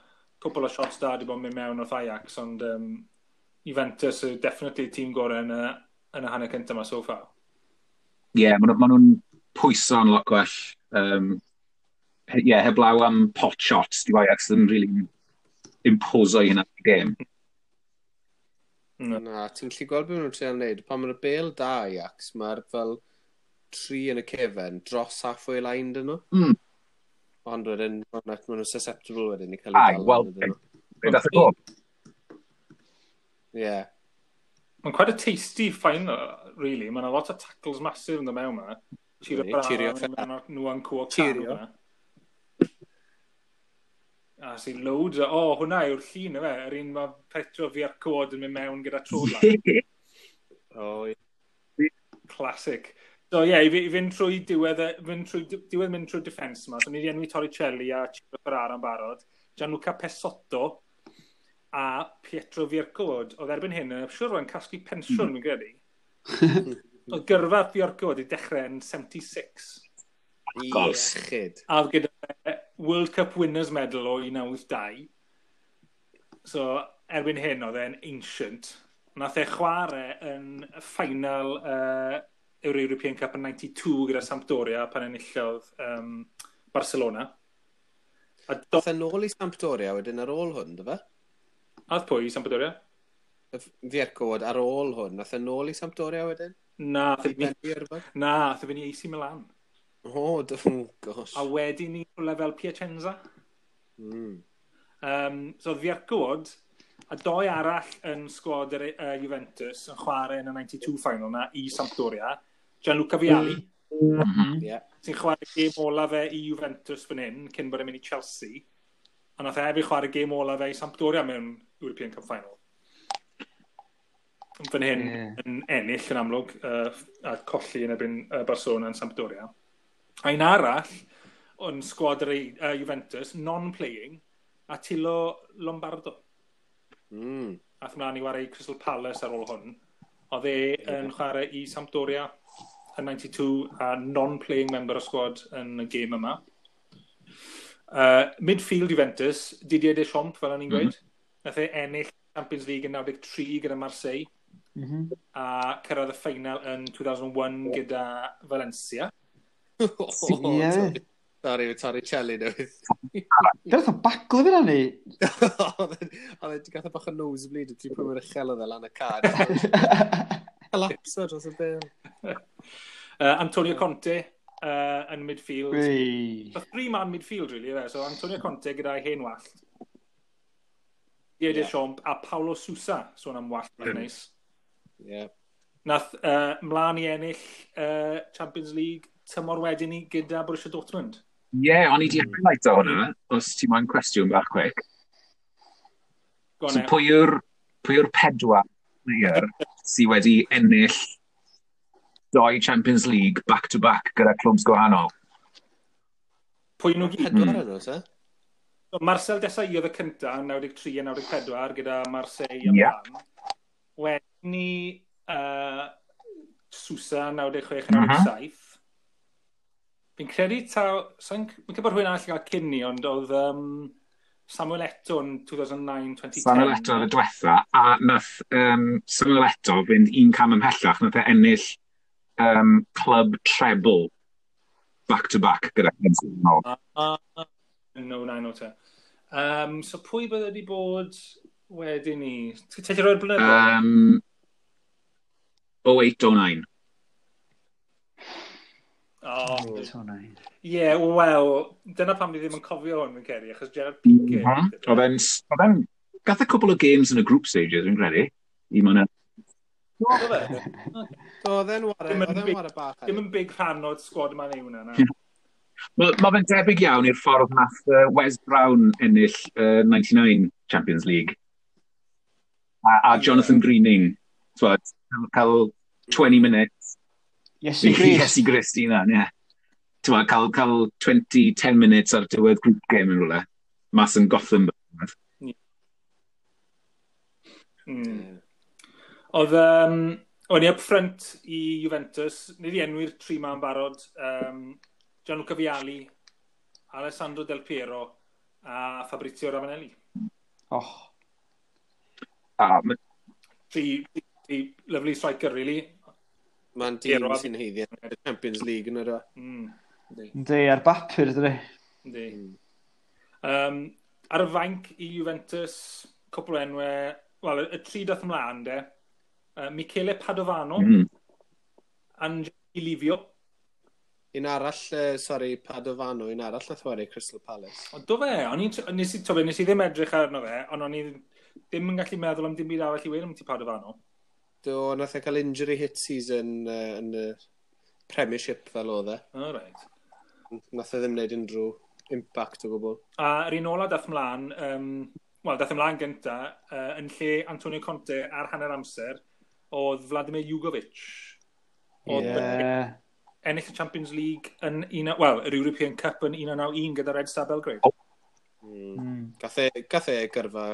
cwpl o shots da wedi bod yn mynd mewn wrth Ajax, ond um, Juventus yw definitely tîm gorau yn y, yn y hanner cyntaf yma so far. Ie, yeah, maen nhw- ma nhw'n pwyso'n lot gwell. Um, Ie, yeah, heblaw am pot shots, di Ajax ddim really imposo i hynna y gêm. Mm. Na, ti'n gallu gweld beth maen nhw'n treial wneud. Pan mae'r bêl da Ajax, mae'r fel tri yn y cefen dros halfway line dyn nhw. Mm. Ond wedyn, maen nhw'n susceptible wedyn i cael eu Ai, dal wel, ydyn nhw. Be dath y gol? Ie. Mae'n quite a tasty final, really. Mae'n a lot o tackles massive yn dod mewn ma. Ciro Ydi, Ciro Ferrara, nhw yn cwo Cirio. A sy'n loads o... O, oh, hwnna yw'r llun, efe. Yr un mae Petro Vierchowod yn mynd mewn gyda trola. O, ie. Classic. So ie, yeah, i, fi- i fynd trwy diwedd, y- fynd trwy, diwedd mynd trwy defence yma. So ni wedi enwi Torricelli a Ciro Ferrara yn barod. Gianluca Pessotto a Pietro Vierchowod. Oedd erbyn hyn, yn siŵr o'n casglu pensiwn, mm. fi'n credu. Oedd gyrfa Vierchowod i dechrau yn seventy-six. Gosh. Iechyd. A oedd gyda fe World Cup Winners Medal o un naw wyth dau. So, erbyn hyn, oedd e'n ancient. Nath e chwarae yn y final uh, yr European Cup yn ninety-two gyda Sampdoria pan enillodd um, Barcelona. A do... Dath e nôl i Sampdoria wedyn ar ôl hwn, dy fe? Ath pwy i Sampdoria? Vierchowod ar ôl hwn, nath e nôl i Sampdoria wedyn? Na, ath I e fyny, bennu ar rhywbeth? Na, ath e fyny A C Milan. O, d- oh, gosh. A wedyn ni rhywle fel Piacenza. Mm. Um, so Vierchowod a doi arall yn sgwad yr uh, Juventus yn chwarae yn y ninety-two final na i Sampdoria. Gianluca Vialli, Mm -hmm. Yeah. sy'n chwarae gêm ola fe i Juventus fan hyn, cyn bod e'n mynd i Chelsea. A nath e hefyd chwarae gêm ola fe i Sampdoria mewn European Cup final. Fan hyn Ie. yn ennill yn amlwg uh, a colli yn erbyn uh, Barcelona yn Sampdoria. A un arall yn sgwad yr uh, Juventus, non-playing, Attilio Lombardo. Mm. Ath mlaen i chwarae i Crystal Palace ar ôl hwn. Oedd e yn chwarae i Sampdoria yn ninety-two a non-playing member o squad yn y gêm yma. Uh, midfield Juventus, Didier Deschamps, fel o'n i'n gweud. Mm -hmm. Nath e ennill Champions League yn naw deg tri gyda Marseille Mm -hmm. a cyrraedd y final yn dwy fil ac un gyda Valencia. Oh, Ie. Sorry, Torricelli newydd. Dyna o baglu fyna ni. Oedd e wedi gath o bach o nosebleed y tri pwy mor uchel oedd e lan y cad. Collapso dros y bêl. Uh, Antonio Conte, uh, yn midfield. Wei. So three man midfield, really, fe. So Antonio Conte gyda'i hen wallt. Didier Ie. Deschamps a Paulo Sousa, sôn am wallt mm. neis. Yeah. Nath uh, mlaen i ennill uh, Champions League tymor wedyn ni gyda Borussia Dortmund. Ie, yeah, o'n i di highlight o hwnna, os ti moyn cwestiwn bach quick. Go on, So e. pwy yw'r pwy yw'r pedwar player sydd wedi ennill doi Champions League back-to-back gyda clwbs gwahanol? Pwy nhw gyd? Pedwar Mm. yn nhw, te? So Marcel Desailly oedd y cynta yn naw deg tri a naw deg pedwar gyda Marseille a Ie. Milan. Wedyn ni uh, Sousa naw deg chwech a Mhm. naw deg saith. Fi'n credu taw... Sa'n fi'n credu bod rhywun arall i gael cyn ni, ond oedd um, Samuel Eto'o yn dwy fil naw dwy fil deg. Samuel Eto'o oedd y diwetha, a nath um, Samuel Eto'o fynd un cam ymhellach, nath e ennill um, club treble back-to-back gyda clubs gwahanol. Ah, no, na, no te. Um, so pwy bydde wedi bod wedyn ni? Ti'n gallu rhoi'r blynyddoedd? Um, oh eight oh nine. Oh, Oh, nine. Ie, yeah, wel, dyna pam ni ddim yn cofio hwn, fi'n credu, achos Gerard Piqué. Mhm. Oedd e'n... Oedd e'n... Gath e cwpl o games yn y group stages, fi'n credu. I mewn Do fe? Do, oedd e'n ware, Dim yn oedd e'n big- ware bach. Dim yn big rhan o'r squad yma neu hwnna, na. Mae ma fe'n debyg iawn i'r ffordd nath uh, Wes Brown ennill uh, ninety-nine Champions League. A, a Ie. Jonathan Greening, t'wod, cael twenty minutes. Iesu Grist. Iesu Grist i hunan, ie. T'wod, cael, cael twenty, ten minutes ar diwedd group game yn rhywle. Mas yn Gothenburg. Mm. Oedd, um, o'n i up front i Juventus, ni wedi enwi'r tri ma'n barod, um, Gianluca Vialli, Alessandro Del Piero a Fabrizio Ravanelli. Oh. A, ma- Tri, tri lovely striker, really. Mae'n dîm Piero a- sy'n haeddu y Champions League yn yr Mm. Yndi. Yndi, ar bapur, dydi. Yndi. Um, ar y fainc i Juventus, cwpl o enwau, wel, y, y tri dath ymlaen, de. Uh, Michele Padovano, mm. mm, Angelo Livio. Un arall, uh, sorry, Padovano, un arall nath ware Crystal Palace. Ond do fe, o'n i'n, nes i, to fe, nes i ddim edrych arno fe, ond o'n i ddim yn gallu meddwl am dim byd arall i weud am ti Padovano. Do, nath e cael injury hit season uh, yn y Premiership fel oedd e. All right. Nath e ddim wneud unrhyw impact o gwbl. A yr un ola dath ymlaen, um, wel, dath ymlaen gynta, uh, yn lle Antonio Conte ar hanner amser, oedd Vladimir Jugovic. Oedd Ie. ennill y Champions League yn un, wel, yr European Cup yn un naw naw un gyda Red Star Belgrade. Mm. Mm. Gath e, gath e gyrfa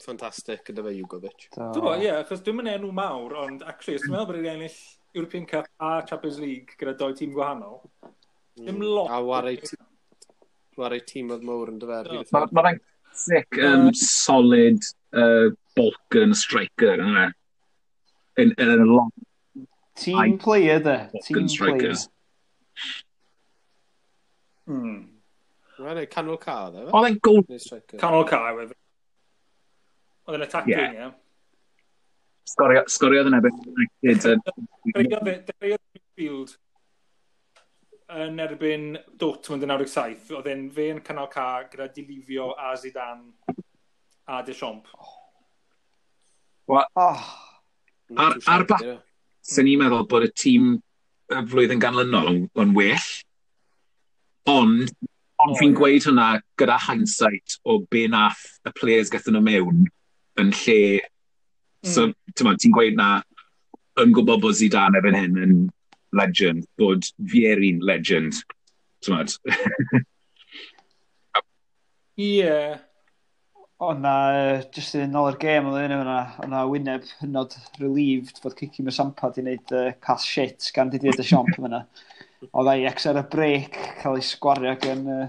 ffantastig gyda fe Jugovic. Do. Dwi'n ie, achos dwi'n mynd enw mawr, ond actually, os ti'n meddwl bod wedi ennill European Cup a Champions League gyda doi tîm gwahanol, dim lot. A ware ware tîm oedd mawr yn dyfer. Do. Mae ma fe'n sick, um, solid uh, Balkan striker, yna. In, in a lot Team player, de. Balkan Team player. strikers. Mm. Wel, canol ca oedd e, fe? Oedd e'n goal Neu striker. Canol ca, oedd. Oedd yn attacking, ie. Yeah. sgorio, sgoriodd yn erbyn United. yn- Dechreuodd e- dechreuodd midfield yn erbyn Dortmund yn naw deg saith. Oedd e'n fe yn canol ca gyda Di Livio a Zidane a Deschamps. Oh, Not Ar- too ar shabby, ba- ie. Sy'n ni'n meddwl bod y tîm y flwyddyn ganlynol yn, yn well. Ond, ond O, fi'n ie. gweud hwnna gyda hindsight o be nath y players gathon nhw mewn yn lle. So, mm. ti'n ti'n gweud na yn gwybod bod Zidane erbyn hyn yn legend, bod Vieri'n legend. Ti'n Ie. Yeah. Oedd na, uh, just yn ôl i'r gêm, oedd un yna, oedd na wyneb hynod relieved fod Kiki Musampa di wneud uh, pass shit gan Didier Deschamps yna. Oedd Ajax ar y break cael ei sgwario gan uh,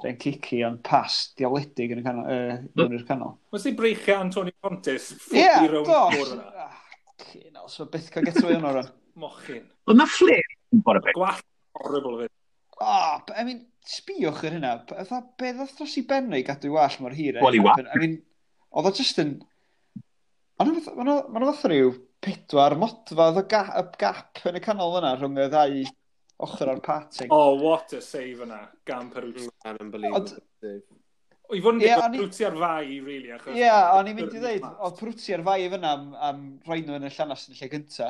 Ren Kiki, ond pass diawledig yn y canol, uh, mewn i'r canol. Wnes i breichio Antonio Conte Ie, ffwrdd rownd do! ffwrdd yna. Ah, fucking hell, so byth cael get away hwnnw rhan. Mochyn. Oedd na flair yn bod y beth. Gwallt horrible fyd. Oh, I mean, sbïwch ar hynna. Fatha, be ddoth dros i ben i gadw i wallt mor hir? eh? Wel, i wallt. I mean, oedd o just yn... Ond ma' nhw fatha rhyw pedwar modfedd o ga y gap yn y canol yna rhwng y ddau Ochr o'r parting. Oh, what a save yna, gan Peruzzi. Unbelievable. I fod yn yeah, deg, Peruzzi ar fai, really. Ie, yeah, o'n i'n mynd i ddeud, oedd Peruzzi ar fai fyna am, am rhoi nhw yn y llanas yn lle gynta.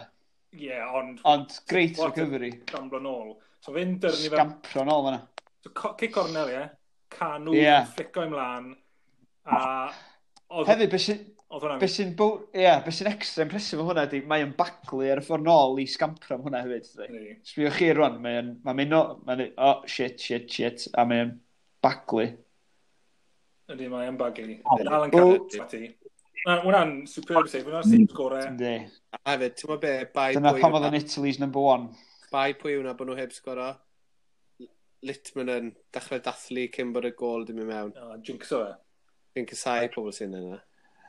Ie, yeah, ond... Ond great recovery. Gamblo nôl. So fe'n dyrnu fe... Sgampro nôl fyna. So kick cornel, ie. Canw, yeah. Flico ymlaen. A... Oedd... Hefyd, beth sy'n... Be sy'n yeah, be sy'n extra impressive o hwnna ydy, mae'n baglu ar y ffordd nôl i sgampro am hwnna hefyd. Sbio chi rwan, mae'n ma mynd o, mae'n oh, shit, shit, shit, a mae'n baglu. Ydy, mae'n baglu. Dal yn cael ti. Hwna'n superb save, hwnna'n save gore. Yndi. A hefyd, ti'n gwybod be, bai Dyna pam oedd yn Italy's number one. Bai pwy hwnna bod nhw heb sgoro? Litman yn dechrau dathlu cyn bod y gol dim i mewn. Oh, jinxo e. Fi'n casau pobl sy'n yna.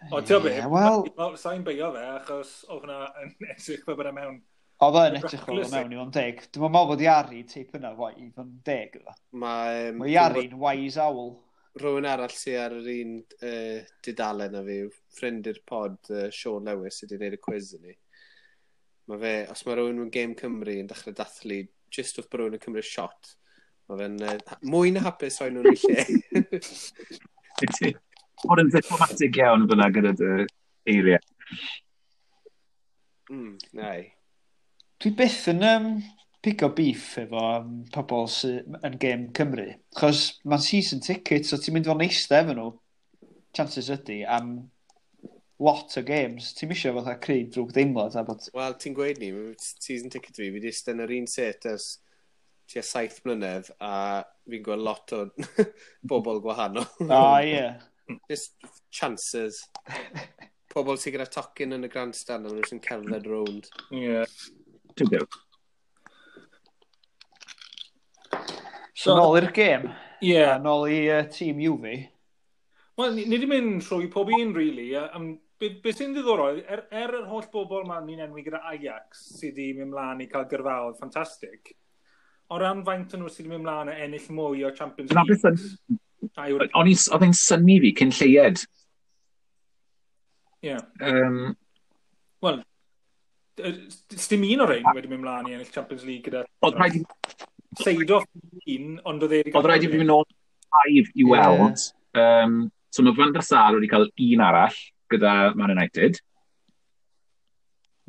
O, ti'n be, well, sa'n beio fe, achos oedd hwnna yn edrych fel bod e mewn. Oedd e'n edrych fel bod e mewn i fod yn deg. Dwi'n meddwl bod Iari teip yna i fod yn deg. Mae um, Iari'n wise owl. Rhywun arall sydd ar yr un uh, dudalen a fi, ffrind i'r pod, uh, Sean Lewis, sydd wedi gwneud y quiz i ni. Mae fe, os mae rhywun mewn Game Cymru yn dechrau dathlu, just wrth bod rhywun yn cymryd shot, mae fe'n uh, mwy na hapus rhoi nhw'n ei lle. Bod yn diplomatic iawn fyna gyda dy eiriau. Mm, nai. Dwi byth yn um, pigo beef efo um, pobl sydd yn Game Cymru. Chos mae'n season ticket, so ti'n mynd fel eistedd efo nhw, chances ydy, am lot o games. Ti'n misio fatha creu drwg deimlad a bod... Wel, ti'n gweud ni, season ticket fi, fi wedi eistedd yn yr un set ers tua saith mlynedd, a fi'n gweld lot o bobl gwahanol. Ah, ie. Yeah. Just chances. Pobl sydd gyda tocyn yn y grandstand a nhw sy'n cerdded rownd. Ie. Dwi'n byw. So, nôl i'r gêm. Ie. Yeah. Nôl i uh, tîm Juve. Wel, ni, ni wedi mynd trwy pob un, really. Um, be, be sy'n ddiddorol, er, er yr holl bobl ma ni'n enwi gyda Ajax sydd wedi mynd mlaen i cael gyrfaoedd ffantastig, o ran faint o'n nhw sydd wedi mynd mlaen a ennill mwy o Champions League. O'n i, oedd e'n synnu fi cyn lleied. Ie. Yeah. Um, Wel, dim un o'r ein wedi mynd mlaen i ennill Champions League gyda... Oedd rhaid i... Seedorf un, ond oedd e wedi... Oedd rhaid i fi mynd nôl five i weld. Yeah. Um, so mae Van der Sar wedi cael un arall gyda Man United.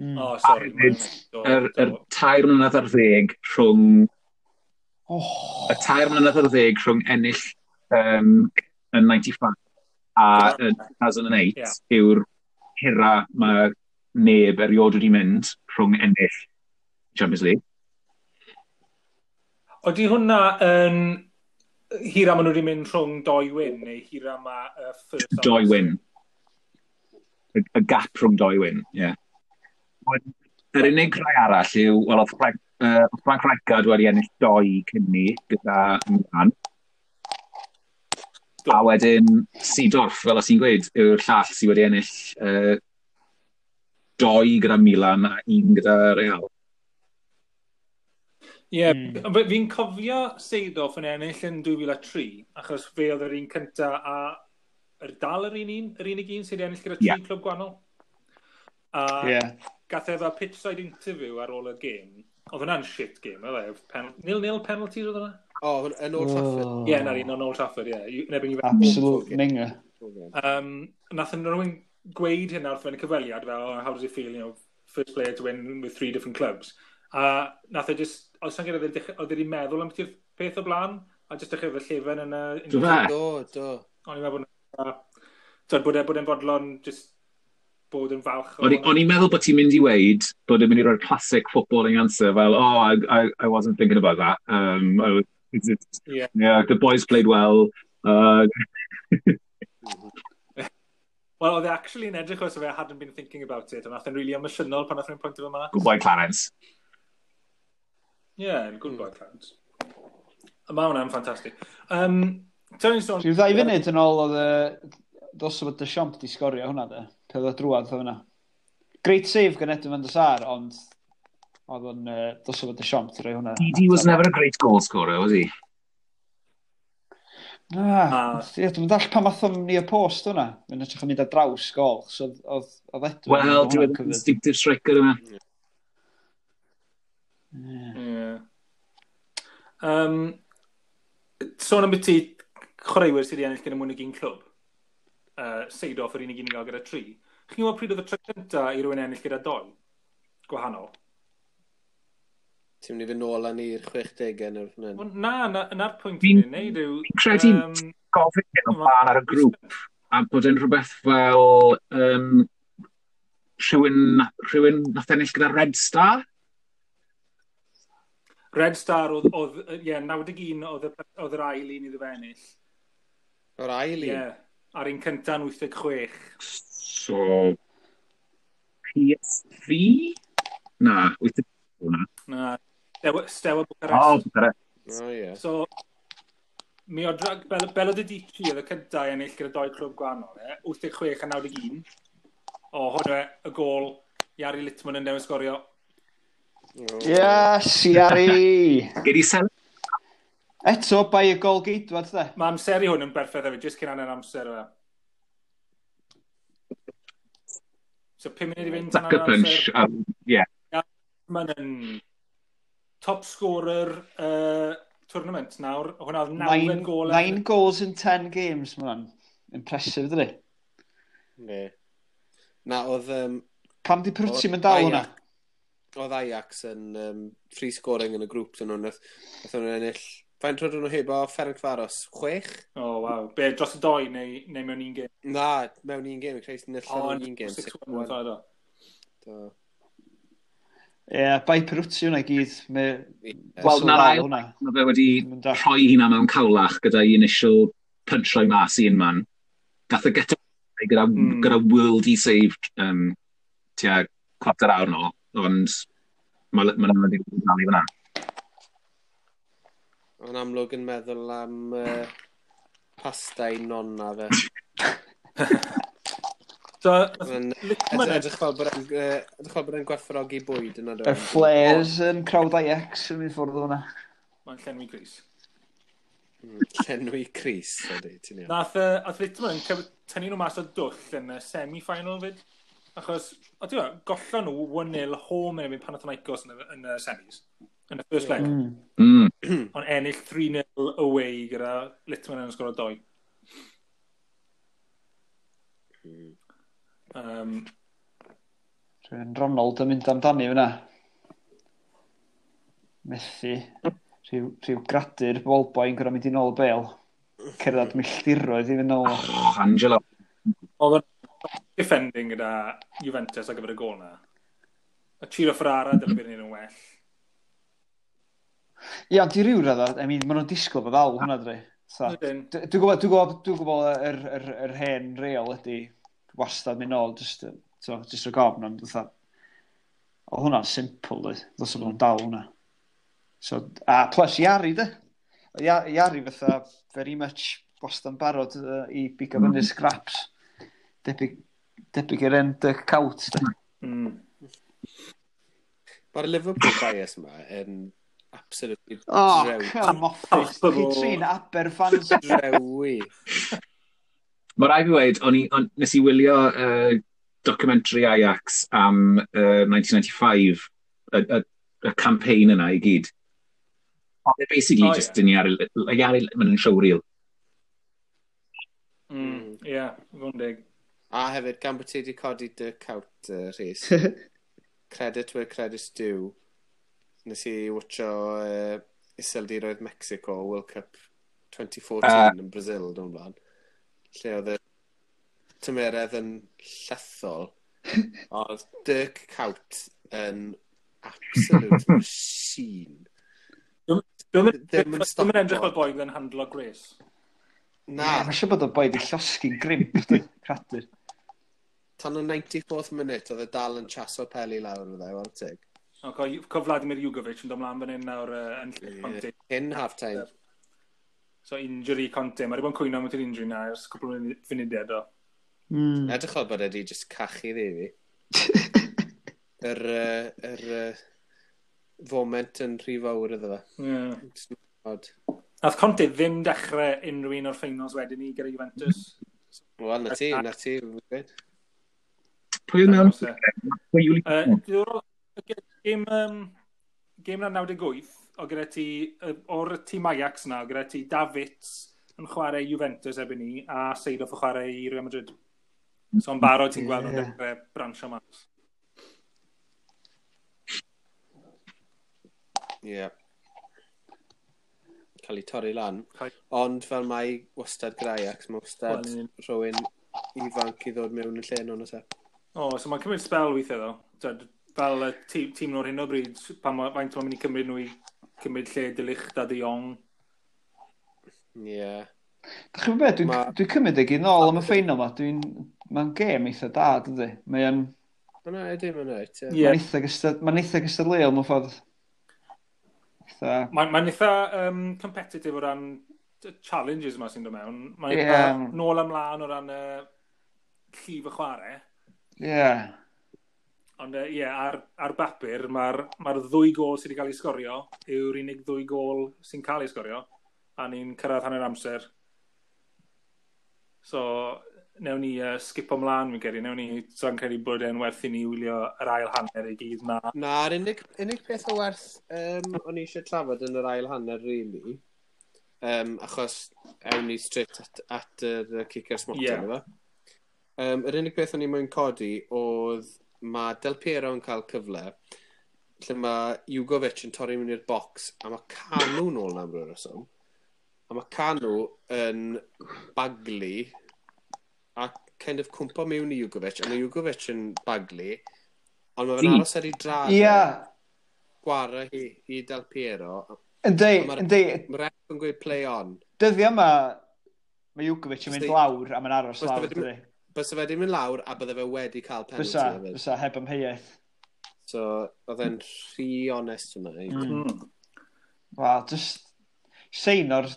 Mm. Oh, sorry. A hefyd, yr, yr tair mlynedd ar ddeg rhwng... Oh. Y tair mlynedd ar ddeg rhwng ennill um, yn ninety-five a yn two thousand eight yeah. yw'r hira mae neb erioed wedi mynd rhwng ennill Champions League. Oeddi hwnna yn hira maen nhw wedi mynd rhwng doi win, neu hira ma uh, first... Doi win. Y, y gap rhwng doi win, ie. Yeah. Yr unig rai arall yw, wel, oedd Frank, uh, Frank Rijkaard wedi ennill doi cyn ni gyda Milan. A wedyn Seedorf, fel os ti'n gweud, yw'r llall sydd wedi ennill uh, doi gyda Milan a un gyda Real. Ie, yeah, mm. Fi'n cofio Seedorf yn ennill yn dwy fil a tri, achos fe oedd yr un cynta a yr dal yr un un, yr unig un sydd wedi ennill gyda tri yeah. clwb gwahanol. A yeah. gath e fel pitchside interview ar ôl y gêm. Oedd hwnna'n shit game, oedd e? Pen nil-nil penalties oedd hwnna? O, oh, yn Old Trafford. Ie, yeah, na'r un o'n Old Trafford, ie. Yeah. Absolute minger. Um, nath yn rhywun gweud hynna wrth fe'n y cyfweliad, fel, oh, how does it feel, you know, first player to win with three different clubs. A nath e just, oedd sa'n gyda, oedd wedi meddwl am beth peth o blaen, a just dechrau fe llefen yn y... Do fe? Do, do. O'n i'n meddwl bod, bod e, bod e'n fodlon just bod yn falch. O'n i'n meddwl bod ti'n mynd i weid bod e'n mynd i roi'r classic footballing answer fel, oh, I, I, I wasn't thinking about that. Um, I was, it's, it's, yeah. yeah, the boys played well. Uh... Well, oedd e actually yn edrych os fe hadn't been thinking about it, ond nath e'n really emosiynol pan nath e'n pwynt efo yma. Good boy, Clarence. Yeah, good boy, Clarence. Mae hwnna'n ffantastig. Um, Rhyw ddau funud yn ôl oedd y... Dos o bod Deschamps di sgorio hwnna, de. Pe oedd o drwad o hwnna. Great save gan Edwin van der Sar, ond oedd o'n uh, dos o bod Deschamps di rhoi hwnna. Didi was never a great goal scorer, was he? Na, ie, dwi'n dall pam athom ni y post hwnna. Mae'n edrych yn mynd ar draws gol, so oedd oedd Edwin... Wel, dwi'n instinctive striker yma. Ie. Um, sôn am beth chwaraewyr sydd wedi ennill gyda mwy nag un clwb. Uh, Seedorf yr unig un i gael gyda tri. Chi'n gwybod pryd oedd y tro cyntaf i rywun ennill gyda doi? Gwahanol. Ti'n mynd i fynd nôl â ni'r chwechdegau neu rhywbeth? Wel, na, na, na'r pwynt fi'n gwneud yw... Fi'n credu um, gofyn hyn o blaen ar y grŵp, a bod e'n rhywbeth fel um, rhywun, rhywun nath ennill gyda Red Star? Red Star oedd, oedd ie, yeah, naw deg un oedd, oedd yr ail un iddo fe ennill. O'r ail un? Ie, yeah, a'r un cynta'n wyth deg chwech. So, P S V? Na, wyth deg chwech. Na, Steaua Bucharest. Oh, Bucharest. Oh, yeah. So, mi o drag, Bel Belodedici oedd y cyntaf i ennill gyda doi clwb gwahanol, e? wyth deg chwech a naw deg un. O, hwnna y gôl, Jari Litmanen yn dewis sgorio. Oh. Yes, Jari! Gei di sel... Eto, bai y gol geidwad, de. Mae amseru hwn yn berffaith hefyd, jyst cyn hanner amser yma. So, pum munud i fynd tan hanner amser. Um, yeah. Mae'n top scorer uh, tournament nawr. Hwna oedd nawfed gôl. Nine goals in ten games, mae hwnna'n impressive, dydy? Ne. Na, oedd... Um, Pam di Prwtsi mynd dal hwnna? Oedd Ajax yn um, free scoring yn y grŵp dyn nhw. Nath nhw'n ennill... Faint roedden nhw heb o Ferencvaros? Chwech? O, oh, waw. Be, dros y doi neu, neu mewn un gêm? Na, mewn un gêm. Credu ennill mewn un gêm. six one, do. Do. Ie, yeah, bai Peruzzi hwnna i gyd. Wel, na'r ail, mae fe wedi rhoi hynna mewn cawlach gyda'i initial punch roi mas i un man. Gath e gyda, gyda, mm. gyda worldie save um, tua cwarter awr nôl, ond mae ma nhw'n wedi dal i fyna. O'n amlwg yn meddwl am uh, pasta i nonna fe. So, edrych fel bod e'n gwerthfawrogi bwyd yna. Y flares yn crowd Ajax yn mynd ffwrdd o hwnna. Mae'n llenwi Cris. Llenwi Cris, ydy, ti'n iawn. Nath uh, Litmanen tynnu nhw mas o dwll yn y semi-final fyd. Achos, o ti'n gwybod, gollon nhw one nil home yn erbyn Panathinaikos yn y, yn y semis. Yn y first leg. Mm. Mm. Ond ennill three nil away gyda Litmanen yn sgoro doi. Mm. Um, Rwy'n Ronald yn mynd amdani fyna. Methu. Rhyw, rhyw gradur ballboy yn gorfod mynd i nôl y bêl. Cerdded milltiroedd i fynd nôl. Oh, Angelo. Oedd yn defending gyda Juventus ar gyfer y gôl na. A Ciro Ferrara dylai bod yn well. Ie, ond i ryw radda, I mean, maen nhw'n disgwyl bod ddal hwnna, dwi. So, dwi'n gwybod, dwi'n gwybod, dwi'n gwybod yr, yr, yr hen reol ydy wastad mynd nôl, just, so, just rhag ofn, ond fatha, oedd hwnna'n simple, dwi. Ddylsa bod nhw'n dal hwnna. So, a plus Jari, de. Jari fatha very much wastad yn barod uh, i bigo fyny scraps. Debyg, debyg i'r end Dirk Kuyt, de. Mm. Mae'r Liverpool bias yma yn absolutely oh, drewi. Come off it. Chi trin Aber fans. Drewi. Mae rhaid fi weud, o'n i, on, nes i wylio uh, documentary Ajax am uh, nineteen ninety-five, y, y, y campaign yna i gyd. Ond basically oh, just yeah. Dyn ni ar, ar, mae'n yn showreel. Mm, yeah, fo'n deg. A hefyd, gan bod ti wedi codi Dirk Kuyt, uh, Rhys, credit where credit's due, nes i watcho uh, Iseldiroedd Mexico World Cup twenty fourteen uh, yn Brazil, dwi'n blaen. Lle oedd y tymeredd yn llethol, oedd Dirk Kuyt yn absolute machine. Dwi'n mynd edrych fel boi yn handlo Grace. Na. Yeah, mae'n siŵr bod y boi di llosgi'n grimp, cradur. Tan y ninety-fourth minute, oedd e dal yn chaso peli lawr o dde, wal teg. O, co, co Vladimir Jugovic yn dod mlaen fan hyn nawr uh, yn lle Conte. Cyn half-time. So injury Conte, mae wedi bod yn cwyno am yr injury na ers cwpl o funudau do. Mm. Edrych fel bod wedi just cachu ddi fi. Yr, uh, yr uh, foment yn rhy fawr iddo fe. Yeah. Odd. Nath Conte ddim dechrau unrhyw un o'r finals wedyn ni gyda Juventus. Wel, na ti, na ti. Pwy oedd mewn? Pwy yw Gêm, um, gêm na naw deg wyth, o gyda ti, o'r tîm Ajax na, o gyda ti Davids yn chwarae Juventus erbyn ni, a Seedorf yn chwarae i Real Madrid. So yn barod ti'n gweld nhw'n yeah. dechrau bransio mas. Ie. Yeah. Cael ei torri lan. Ond fel mae wastad gyda Ajax, mae wastad well, rhywun ifanc i ddod mewn yn lle nhw'n oes e. O, so mae'n cymryd spel weithiau ddo. Tyd, fel y tîm, tîm nhw'r hyn o bryd, pan ma, faint mae'n mynd i cymryd nhw i cymryd lle De Ligt a De Jong. Ie. Yeah. Dach chi'n beth, dwi'n ma... dwi cymryd ag i nôl am y ffeinal ma. Dwi'n... Mae'n gêm eitha da, dydy. Mae'n... Mae'n ydy, mae'n reit, ie. Mae'n eitha gystad... Mae'n eitha gystadleuol mewn ffordd. Eitha... Mae'n mae eitha um, competitive o ran challenges yma sy'n dod mewn. Mae'n eitha yeah. nôl ymlaen o ran uh, llif y chwarae. Ie. Yeah. Ond ie, uh, yeah, ar, ar bapur, mae'r ma ddwy gôl sydd wedi cael ei sgorio yw'r unig ddwy gôl sy'n cael ei sgorio, a ni'n cyrraedd hanner amser. So, newn ni uh, skip ymlaen, fi'n credu. Newn ni, so'n credu bod e'n werth i ni wylio yr ail hanner i gyd na. Na'r unig, unig peth o werth um, o'n i eisiau trafod yn yr ail hanner, really, um, achos ewn ni straight at, at yr kicker smotyn, yeah. Efo. Um, yr unig peth o'n i moyn codi oedd mae Del Piero yn cael cyfle lle mae Jugovic yn torri mewn i'r bocs a mae Kanu nôl na am ryw reswm. A mae Kanu yn baglu a kind of cwmpo mewn i Jugovic, a mae Jugovic yn baglu, ond mae fe'n aros ar ei draed. Ie. Gwara hi i Del Piero. Yndi, yndi. Mae'r ref yn gweud play on. Dyddia yma, mae Jugovic yn mynd lawr a mae'n aros lawr, dydy. Bysa fe wedi mynd lawr a bydde fe wedi cael penalty. Bysa, bysa, heb amheuaeth. So, oedd e'n rhy onest yma. Mm. Wel, just sein o'r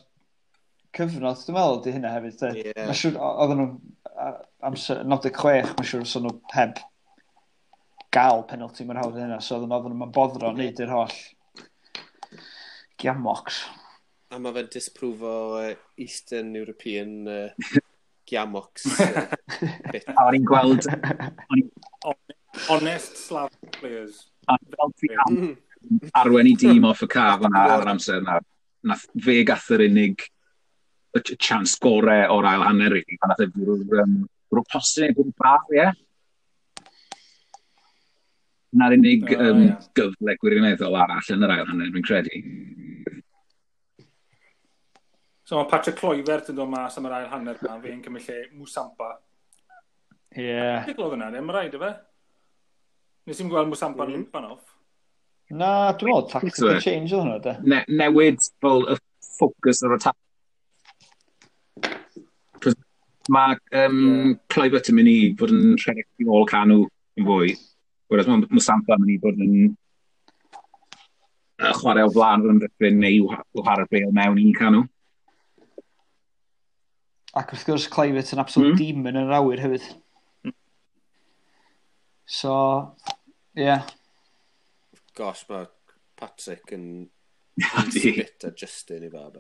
cyfnod, dwi'n meddwl, di hynna hefyd. Yeah. Mae'n siŵr, oedden nhw, amser naw deg chwech, mae'n siŵr, so nhw heb gael penalty mor hawdd hynna, so oedden nhw'n boddro wneud yr holl giamocs. A mae fe'n disprofo Eastern European uh, giamocs uh, bit. A o'n i'n gweld... Honest Slav players. A mm. Arwen i dîm off y caf yna ar yr amser yna. Nath fe gath yr unig y chance gore o'r ail hanner, really. Pan nath e fwrw'r um, postyn neu bwrw'r bar, ie. Na'r unig oh, um, yeah. gyfle gwirioneddol arall yn yr ail hanner, dwi'n credu. So mae Patrick Kluivert yn dod mas am yr ail hanner yma, fe'n cymryd lle Musampa. Ie. Yeah. Dwi'n gweld yna, ddim rhaid, efe? Nes i'n gweld Musampa mm. limpan off. Na, dwi'n meddwl tactical change oedd hwnna, de. Ne newid fel y ffocws o'r attack. Mae um, yeah. Kluivert yn mynd i fod yn rhedeg i ôl Kanu yn fwy, whereas mae Musampa yn mynd i fod yn uh, chwarae o flaen yr ymddiffyn neu chwarae'r bêl mewn i Kanu. Ac wrth gwrs Kluivert yn absolute mm. demon yn yr awyr hefyd. Mm. So, ie. Yeah. Gosh, mae Patrick yn spit a Justin i fa.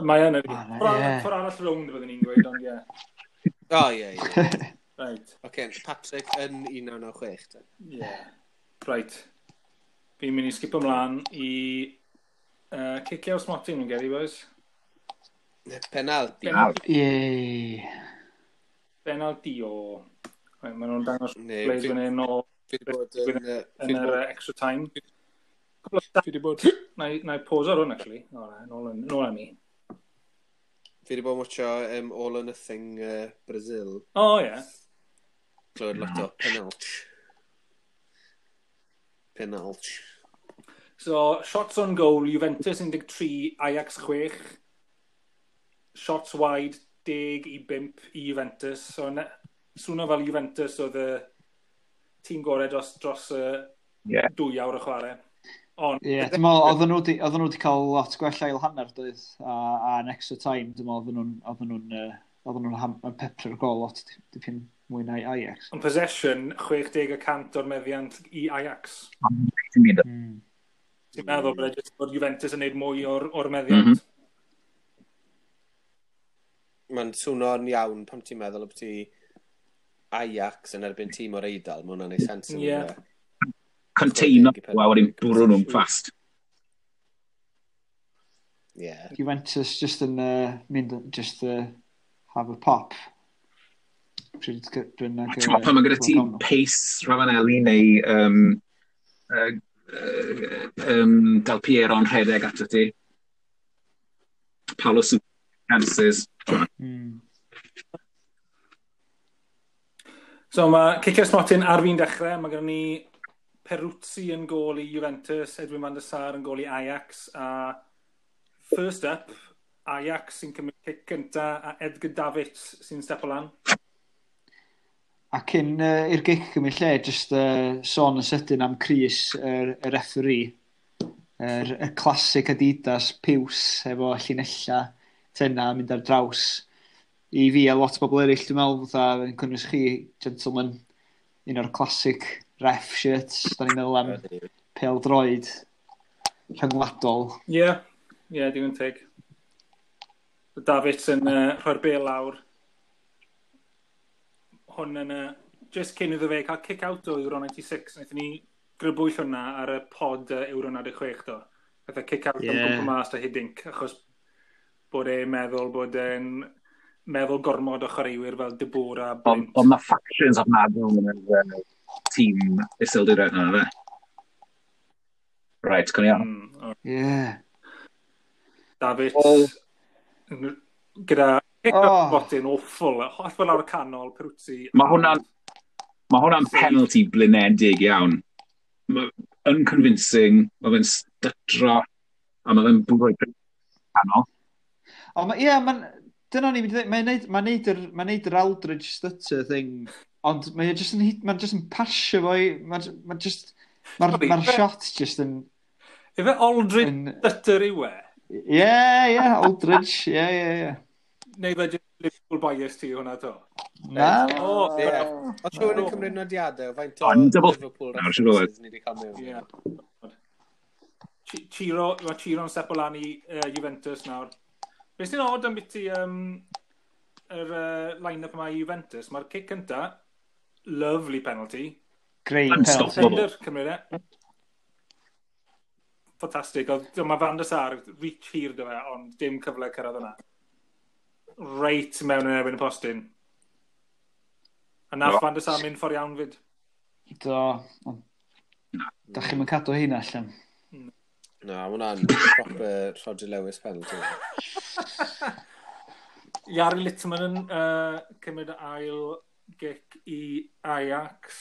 Mae yn ydy. Ffordd arall rownd fyddwn ni'n gweud, ond ie. O, ie, ie. Right. Oce, Patrick yn un naw naw chwech. Ie. Right. Fi'n mynd i skip ymlaen i uh, cicio smotyn, fi'n geri, boys. Penalti. Penalti. Ie. Penalti o... Right, maen nhw'n dangos plays fan hyn o... Yn yr extra time. Fi wedi bod... Na i pause ar hwn, actually. O, na, nôl, nôl am i. Fi wedi bod yn watcho um, All or Nothing uh, Brazil. O, oh, ie. Yeah. Clywed lot o penalty. Penalty. So, shots on goal, Juventus un deg tri, Ajax chwech. Shots wide, deg i bump i Juventus. So, ne, swnio fel Juventus oedd y tîm gorau dros, dros y yeah. dwy awr o chwarae. Ond... Ie, yeah, dwi'n meddwl, oedden nhw oedden nhw wedi cael lot gwell ail hanner, doedd, a, a yn extra time, dwi'n meddwl, oedden nhw'n oedden nhw'n oedden nhw'n pepper gol lot dipyn mwy na i Ajax. Ond possession, chwech deg y cant o'r meddiant i Ajax. Mm. Ti'n meddwl bod, e bod Juventus yn neud mwy o'r, or meddiant. Mm -hmm. Mae'n swnio'n iawn pam ti'n meddwl bod ti Ajax yn erbyn tîm o'r Eidal, mae hwnna'n neud sens. Ie. Container, a wedyn bwrw nhw'n fast. Yeah. Juventus just yn uh, mynd, just uh, have a pop. Pryd bynnag... Ti'n pan mae gyda ti pace Ravanelli neu um, uh, uh, um, Del Piero'n rhedeg ato ti. Paolo chances. Mm. So mae cicio'r smotyn ar fi'n dechrau. Mae gennym ni Peruzzi yn gôl i Juventus, Edwin van der Sar yn gôl i Ajax, a first up, Ajax sy'n cymryd cic gynta a Edgar Davids sy'n step o lan. A cyn uh, i'r gic gymryd lle, just uh, sôn yn sydyn am Chris, yr, y referee, yr, y classic Adidas piws efo llinella tenna mynd ar draws. I fi a lot o bobl eraill, dwi'n meddwl, fatha, yn cynnwys chi, gentlemen, un o'r classic ref shirts, da ni'n meddwl am pêl-droed rhyngwladol. Ie, yeah, ie, yeah, digon teg. Davids yn uh, rhoi'r bêl lawr. Hwn yn, uh, just cyn iddo fe cael kick-out o Euro ninety-six, wnaethon ni grybwyll hwnna ar y pod uh, Euro naw deg chwech do. Gath e kick-out yeah. am gwmpa mas da Hiddink, achos bod e'n meddwl bod e'n meddwl gormod o chwaraewyr fel De Boer a Blind. Ond mae factions ofnadwy yn y tîm Iseldiroedd yna, fe? Right, con iawn. Mm, yeah. Davids, oh. gyda kick-out oh. botyn awful, holl fel lawr y canol, Peruzzi. Mae hwnna'n ma hwnna'n penalty blinedig iawn. Ma, unconvincing, mae fe'n stytro, a mae fe'n bwrw canol. O, ma, ie, mae'n... Dyna ni'n mynd i ddweud, mae'n neud, mae'n neud yr, mae'n neud yr Aldridge stutter thing, ond mae'n just yn, mae'n just yn pasio fo i, mae'n ma just, mae'r ma shot just yn... Ife Aldridge yn... stutter yw e? Ie, ie, Aldridge, ie, ie, ie. Neu fe just Liverpool bias ti hwnna to? Na. O, ie. Os rhywun yn cymryd nodiadau, faint o Liverpool references ni wedi cael mewn. Ie. Ciro, mae Ciro'n step o lan i Juventus nawr. Beth sy'n odd am biti um, yr uh, line-up yma i Juventus, mae'r cic cynta, lovely penalty. Great penalty. Defender, cymryd e. Ffantastig. Oedd, mae Van der Sar, reach hir dy fe, ond dim cyfle cyrraedd yna. Reit mewn yn erbyn y postyn. A nath no. Van der Sar mynd ffordd iawn fyd. Do. Da chi'm yn cadw hynna allan. Na, mae hwnna'n proper Roger Lewis penalty. Jari Littman yn uh, cymryd ail gic i Ajax.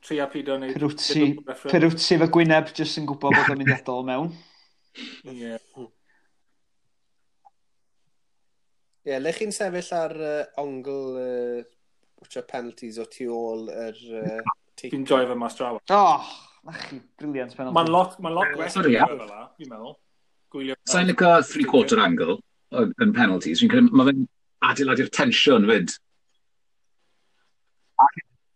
Tria pido wneud... Peruzzi, Peruzzi efo Gwyneb, jyst yn gwybod bod o'n mynd i adael mewn. Ie. Ie, le chi'n sefyll ar uh, ongl uh, penalties o tu ôl yr... Uh, Fi'n joio fe mas draw. Oh, na chi, brilliant penalty. Mae'n lot, mae'n lot gwell Sorry, fel la, fi'n meddwl. Gwylio... Sa'n licio three-quarter angle yn penalties. Fi'n credu, mae fe'n adeiladu'r tensiwn fyd. A,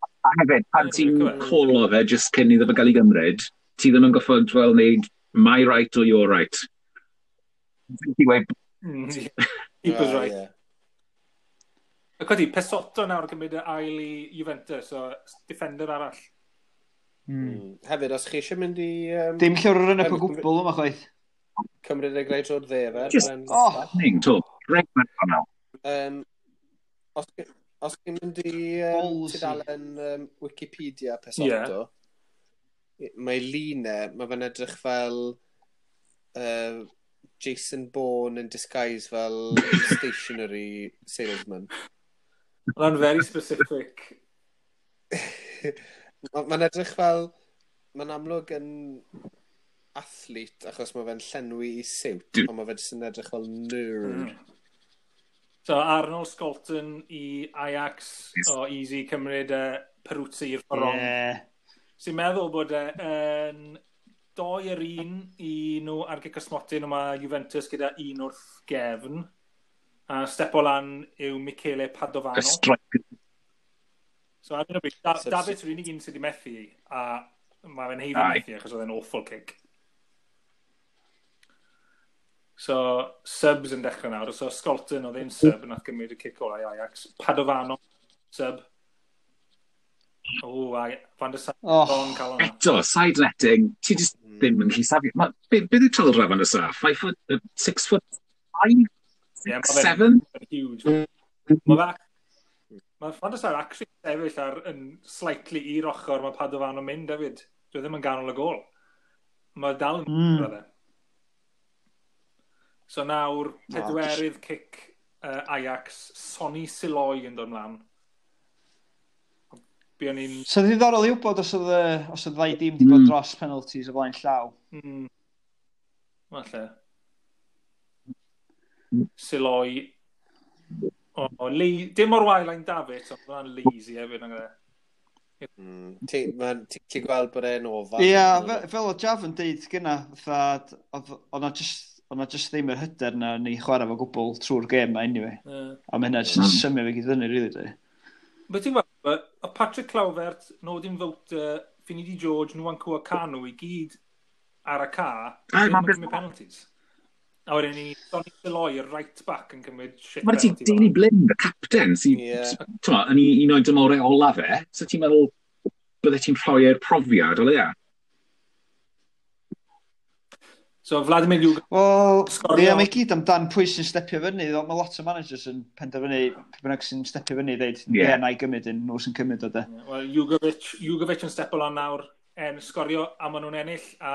a hefyd, pan ti'n colo fe just cyn iddo fe gael ei gymryd, ti ddim yn goffod fel wneud my right or your right. Ti'n gweud... Keeper's right. Yeah. Ac wedi, Pesotto nawr yn cymryd y ail i Juventus, so defender arall. Mm. Hefyd, os chi eisiau mynd i... Um, Dim llyfr yn y gwbl yma chwaith. Cymryd y greit o'r dde fe. Just oh. to. Reit mewn hwnnw. Um, os, os chi'n mynd i um, tudalen um, Wikipedia Pesotto, yeah. Mae lune, mae fe'n edrych fel uh, Jason Bourne in disguise fel stationery salesman. Mae'n very specific. Mae'n edrych fel, mae'n amlwg yn athlete achos mae fe'n llenwi i siwt, ond mae fe jyst yn edrych fel nerd. Mm. So Arnold Scholten i Ajax, yes. O easy cymryd uh, Peruzzi i'r ffordd wrong. Yeah. Sy'n meddwl bod yn uh, doi yr un i nhw ar gic y smotyn, ond mae Juventus gyda un wrth gefn. A step o lan yw Michele Padovano. Y striker. So ar hyn o bryd, da, Davids yw'r unig un sydd wedi methu, a mae fe'n heiddi methu achos oedd e'n awful kick. So, subs yn dechrau nawr. So, Scholten oedd e'n sub, nath gymryd y kick ola i Ajax. Padovano, sub. O, a Van der Sar Oh. bron cael hwnna. Eto, side netting, ti just Mm. ddim yn gallu safio. Ma, be, be yw taldra Van der Sar? Five foot, uh, six foot five? Ie, ma' Six, fe'n- seven? Huge. Mae fe... Mae Van der Sar actually sefyll ar yn slightly i'r ochr mae Padovano yn mynd hefyd. Dwi ddim yn ganol y gol. Mae dal yn Mm. mm. So nawr, pedwerydd cic uh, Ajax, Sonny Silooy yn dod mlaen. Buon ni'n... So ddiddorol i wybod os oedd, y- os oedd ddau dîm wedi bod Mm. dros penalties o flaen llaw. Mm, falle. Silooy. O, oh, le, dim mor wael â'n Davids, ond hwnna'n lazy hefyd. Nag e? Mm. Ti'n ma- ti'n gallu gweld bod e'n ofan. Ie, fe- fel o Jav yn deud gyna, fatha, oedd oedd na just, oedd na just ddim yr hyder na ni chwarae fo gwbl trwy'r gêm ma anyway. Ie. A mae hynna just yn Mm. symud fe gyd fyny, really, dwi. Be ti'n gweld, o Patrick Kluivert, Nordin Wouter, Finidi George, Nwankwo Kanu i gyd ar y ca, Aye, ddim ma'n yn cymryd penalties. A wedyn ni, Sonny Silooy, y right back, yn cymryd shit Mae ti penalty fel Daley Blind, y captain, sy'n, Ie. yeah. yn un o'i dymorau ola fe, so ti'n meddwl bydde ti'n rhoi e'r profiad, o leia? So Vladimir Jugovic, Wel, Sgorio. ie, mae gyd amdan pwy sy'n stepio fyny. Mae lot o managers yn penderfynu, pwy bynnag sy'n stepio fyny, dweud, ie, Ie. yeah, na i gymryd un, nhw sy'n cymryd o de. well, Jugovic, Jugovic yn stepo lan nawr, en sgorio, a maen nhw'n ennill, a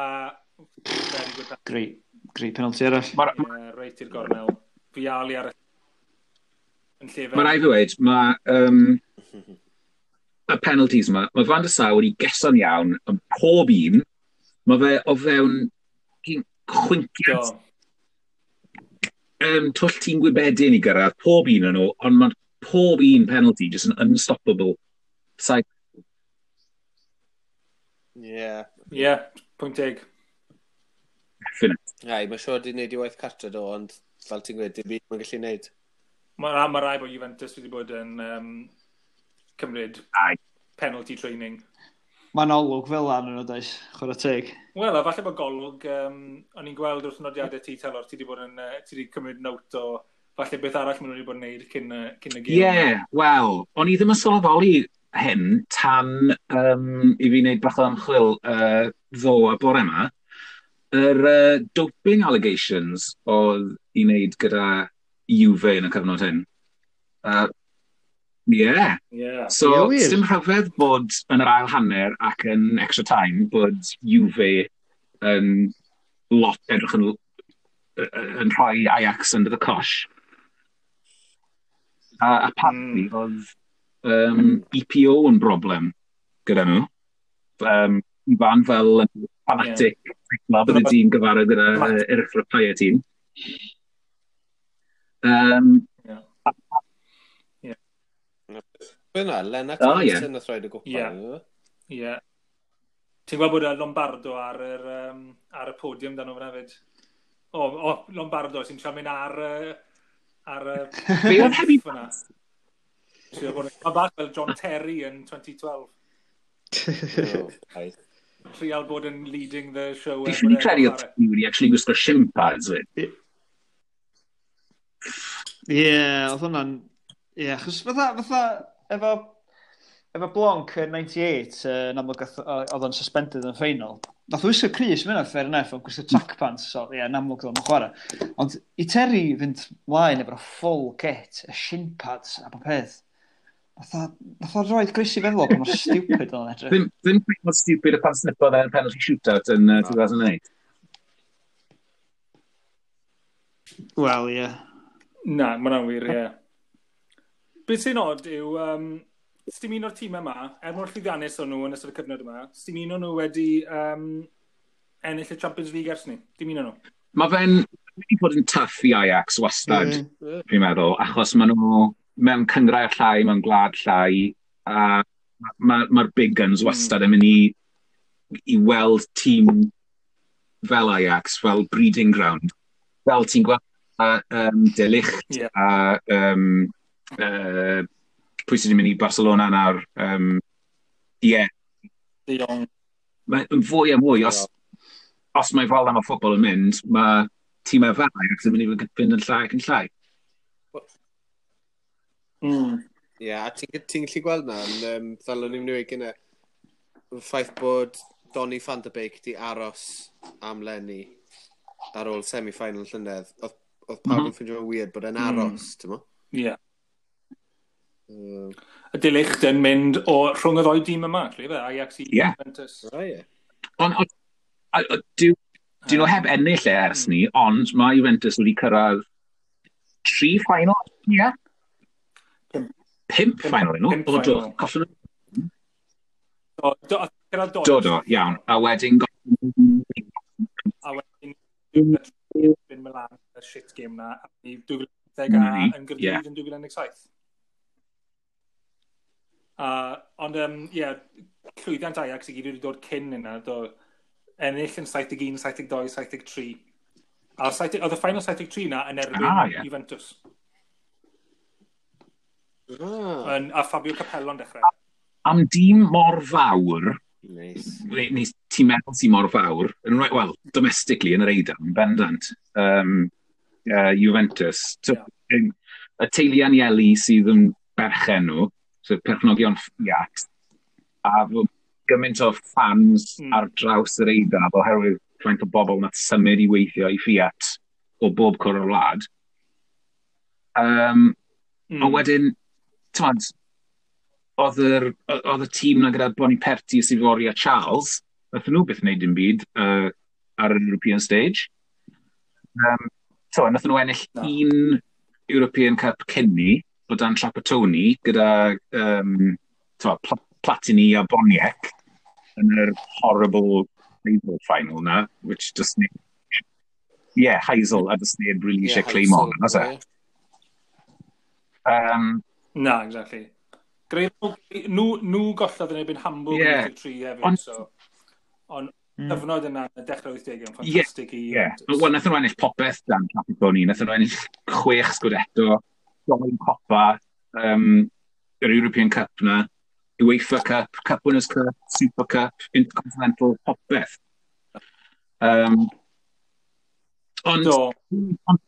very good. Great, great penalty arall. Mae'r Yeah, reit i'r gornel. Vialli ar y... Yn lle fe. ma rai fi wedi, mae um, y penalties yma, mae Van der Sar wedi geso'n iawn yn pob un, mae fe o fewn chwinciad Do. um, twll tîm gwybedyn i gyrraedd pob un yn nhw, ond mae pob un penalty just yn unstoppable. Side Ie. Ie, pwynt teg. definite. Ai, mae'n siŵr wedi gwneud i waith cartre do, ond fel ti'n gweud, dim byd mae'n gallu gwneud. Mae ma rai bod Juventus wedi bod yn um, cymryd Aye. penalty training. Mae'n olwg fel lan yn o does, chwarae teg. Wel, a falle bod golwg, um, o'n i'n gweld wrth nodiadau ti, Telor, ti wedi bod yn, uh, ti wedi cymryd note o falle beth arall maen nhw wedi bod yn neud cyn, uh, cyn y Ie, gêm. yeah, wel, o'n i ddim yn sylweddoli hyn tan um, i fi wneud bach o ymchwil uh, ddo a bore yma. Yr uh, doping allegations oedd i wneud gyda Juve yn y cyfnod hyn. Uh, yeah. Yeah. So, Ie, wir? dim rhyfedd bod yn yr ail hanner ac yn extra time bod Juve yn lot edrych yn, yn rhoi Ajax under the cosh. A apparently mm. oedd um, E P O yn broblem gyda nhw. Um, Ifan fel fanatic, yeah. Bydde ti'n gyfarwydd gyda uh, erythropoietin. Um, Yeah. Be yna, Lennart O, ie. Johnson nath roed y gwpan. Ie. Ie. Yeah. Ti'n gweld bod y Lombardo ar, yr, um, ar y podium dan nhw fyna hefyd. O, o, Lombardo sy'n siarad mynd ar, uh, ar y Be oedd Heavy fyna. Trio bod yn- Mae bach fel John Terry yn twenty twelve. Oh, ai. Trial bod yn leading the show. Fi er ffili bod e'n credu oedd chwarae. ti wedi actually gwisgo shin pads fyd. Ie, yeah, oedd hwnna'n... Ie, yeah, achos fatha, fatha, efo, efo Blanc yn naw deg wyth, uh, yn amlwg gath- oedd o'n suspended yn final. Nath o wisgo crys, mynd fair enough, ond gwisgo track pants, so ie, yeah, yn amlwg oedd o'n chwarae. Ond i Terry fynd mlaen efo'r full kit, y shin pads a bob peth, nath o, nath o roed grys i feddwl pa mor stupid oedd o'n edrych. Ddim, ddim cweit mor stupid y pan snipodd e'n penalty shootout yn uh, two thousand eight. Wel, ie. Yeah. Na, mae hwnna'n wir, ie. Beth sy'n odd yw, um, sdim un o'r tîm yma, er mor llwyddiannus o'n nhw yn ystod y cyfnod yma, sdim un o'n nhw wedi um, ennill y Champions League ers ni. Dim un o'n nhw. Mae fe'n wedi bod yn tough i Ajax wastad, Mm. fi'n meddwl, achos maen nhw mewn cyngrair llai, mewn gwlad llai, a mae'r ma, ma big guns wastad yn mynd i, i weld tîm fel Ajax, fel breeding ground. Fel ti'n gweld a, um, De Ligt Ie. a um, uh, pwy sydd wedi mynd i Barcelona nawr. Um, yeah, De Jong. mae'n fwy a mwy, os, os mae fel am y ffwbol yn mynd, mae tîmau fel Ajax yn mynd i fynd yn llai ac yn llai. Mm. Ie, yeah, a ti'n ti gallu gweld na, um, fel o'n i'n mynd gyda, y ffaith bod Donny van de Beek di aros am leni ar ôl semi-final llynedd, oedd, oedd pawb mm -hmm. yn ffeindio weird bod e'n aros, mm. ti'n mo? Ie. Yeah. Mm. Y De Ligt yn mynd o rhwng y ddoi dîm yma, actually, fe, Ajax i yeah. Juventus. Oh, yeah. Ond, on, dyn nhw heb ennill e ers mm. ni, ond mae Juventus wedi cyrraedd tri final, ie? Yeah. Pump final nhw. Pump final. Collon nhw. Do, do, do, do, iawn. A wedyn... A wedyn... Yn Milan, y shit game na, i dwy fil ag a yn Gaerdydd yn dwy fil un deg saith. Uh, ond, um, ie, yeah, llwyddiant Ajax i gyd wedi dod cyn yna, do, ennill yn saith deg un, saith deg dau, saith deg tri. A oedd y final saith deg tri na yn erbyn ah, yeah. Juventus. Ah. Yn, a Fabio Capello'n dechrau. Am dîm mor fawr, nice. Neu ti'n meddwl sy'n mor fawr, yn, well, domestically yn yr Eidal, yn bendant, um, uh, Juventus. So, yeah. Y teulu Agnelli sydd yn berchen nhw, so perchnogion Fiat, a gymaint o fans mm. ar draws yr Eidal oherwydd faint o bobl nath symud i weithio i Fiat o bob cwr o'r wlad. Um, mm. A wedyn, t'mod, oedd yr, oedd y tîm na gyda Boniperti, Sivori a Charles, nath nhw byth wneud dim byd uh, ar yr European stage. Um, so, nath nhw ennill no. un European Cup cyn ni, o dan Trapattoni, gyda um, t'mod, Pl Platini a Boniek yn yr horrible Heysel final na, which just yeah, Heysel, a just neb really yeah, eisiau claim on, nas e? Um, Na, exactly. Greu, nhw, nhw gollodd yn erbyn Hamburg yeah. yn tri hefyd, On, so... Ond mm. cyfnod yna, y dechrau wythdegau, yn ffantastig yeah, i yeah. Wel, nath nhw ennill popeth dan Trapattoni, nath nhw ennill chwech Scudetto, doi Coppa, um, yr European Cup na, UEFA Cup, Cup Winners' Cup, Super Cup, Intercontinental, popeth. Um, ond... Do. Ond,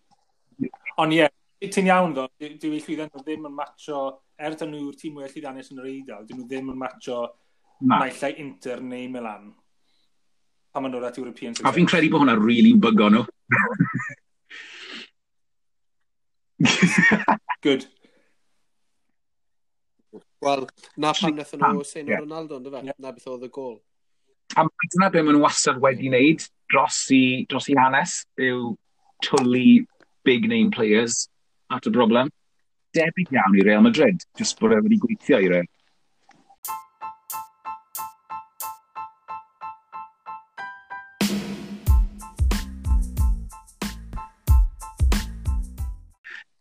on, ie, yeah, ti'n iawn ddo, dyw eu llwyddiant nhw ddim yn matcho, er dyn nhw'r tîm mwy llwyddiannus yn yr Eidal, dyn nhw ddim yn matcho naill ai Inter neu Milan. Pan ma'n dod at European success. A fi'n credu bod hwnna really bygo nhw. Good. Wel, na pam nath nhw seino yeah. Ronaldo, ynddo fe? Yeah. Na beth oedd y gol. A dyna be maen nhw wastad wedi wneud dros i, dros i hanes, yw twlu big name players at y broblem. Debyg iawn i Real Madrid, just bod e wedi gweithio i Real.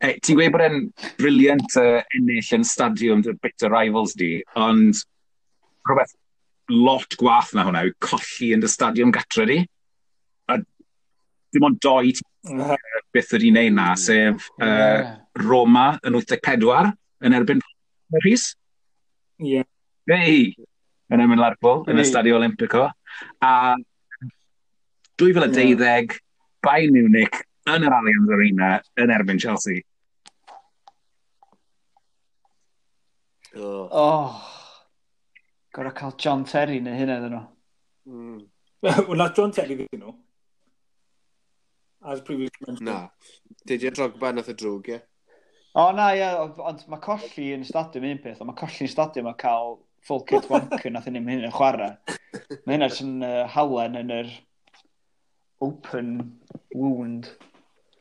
E, ti'n gweud bod e'n brilliant uh, ennill yn stadiwm dy bitter rivals di, ond rhywbeth lot gwath na hwnna yw colli yn dy stadiwm gatre di. A dim ond doi byth wedi wneud na, sef uh, yeah. Roma yn wyth deg pedwar yn erbyn Rhys. Ie. Yeah. Hey! Yn erbyn Lerpwl, yn y Stadio Olimpico. A dwy fil a deuddeg, yeah. Bayern Munich yn yr Allianz Arena yn erbyn Chelsea. Oh. Oh. Gorau cael John Terry neu hynna iddyn nhw. Mm. Wel, na John Terry ddyn nhw. As previously mentioned. Na. Didier Drogba nath y drwg, ie? O na, ie, ond ond mae colli yn stadiwm un peth, ond mae colli yn stadiwm a cael full kit wanker nath hynny'n hynny'n chwarae. Mae hynna jyst yn uh, halen yn yr open wound.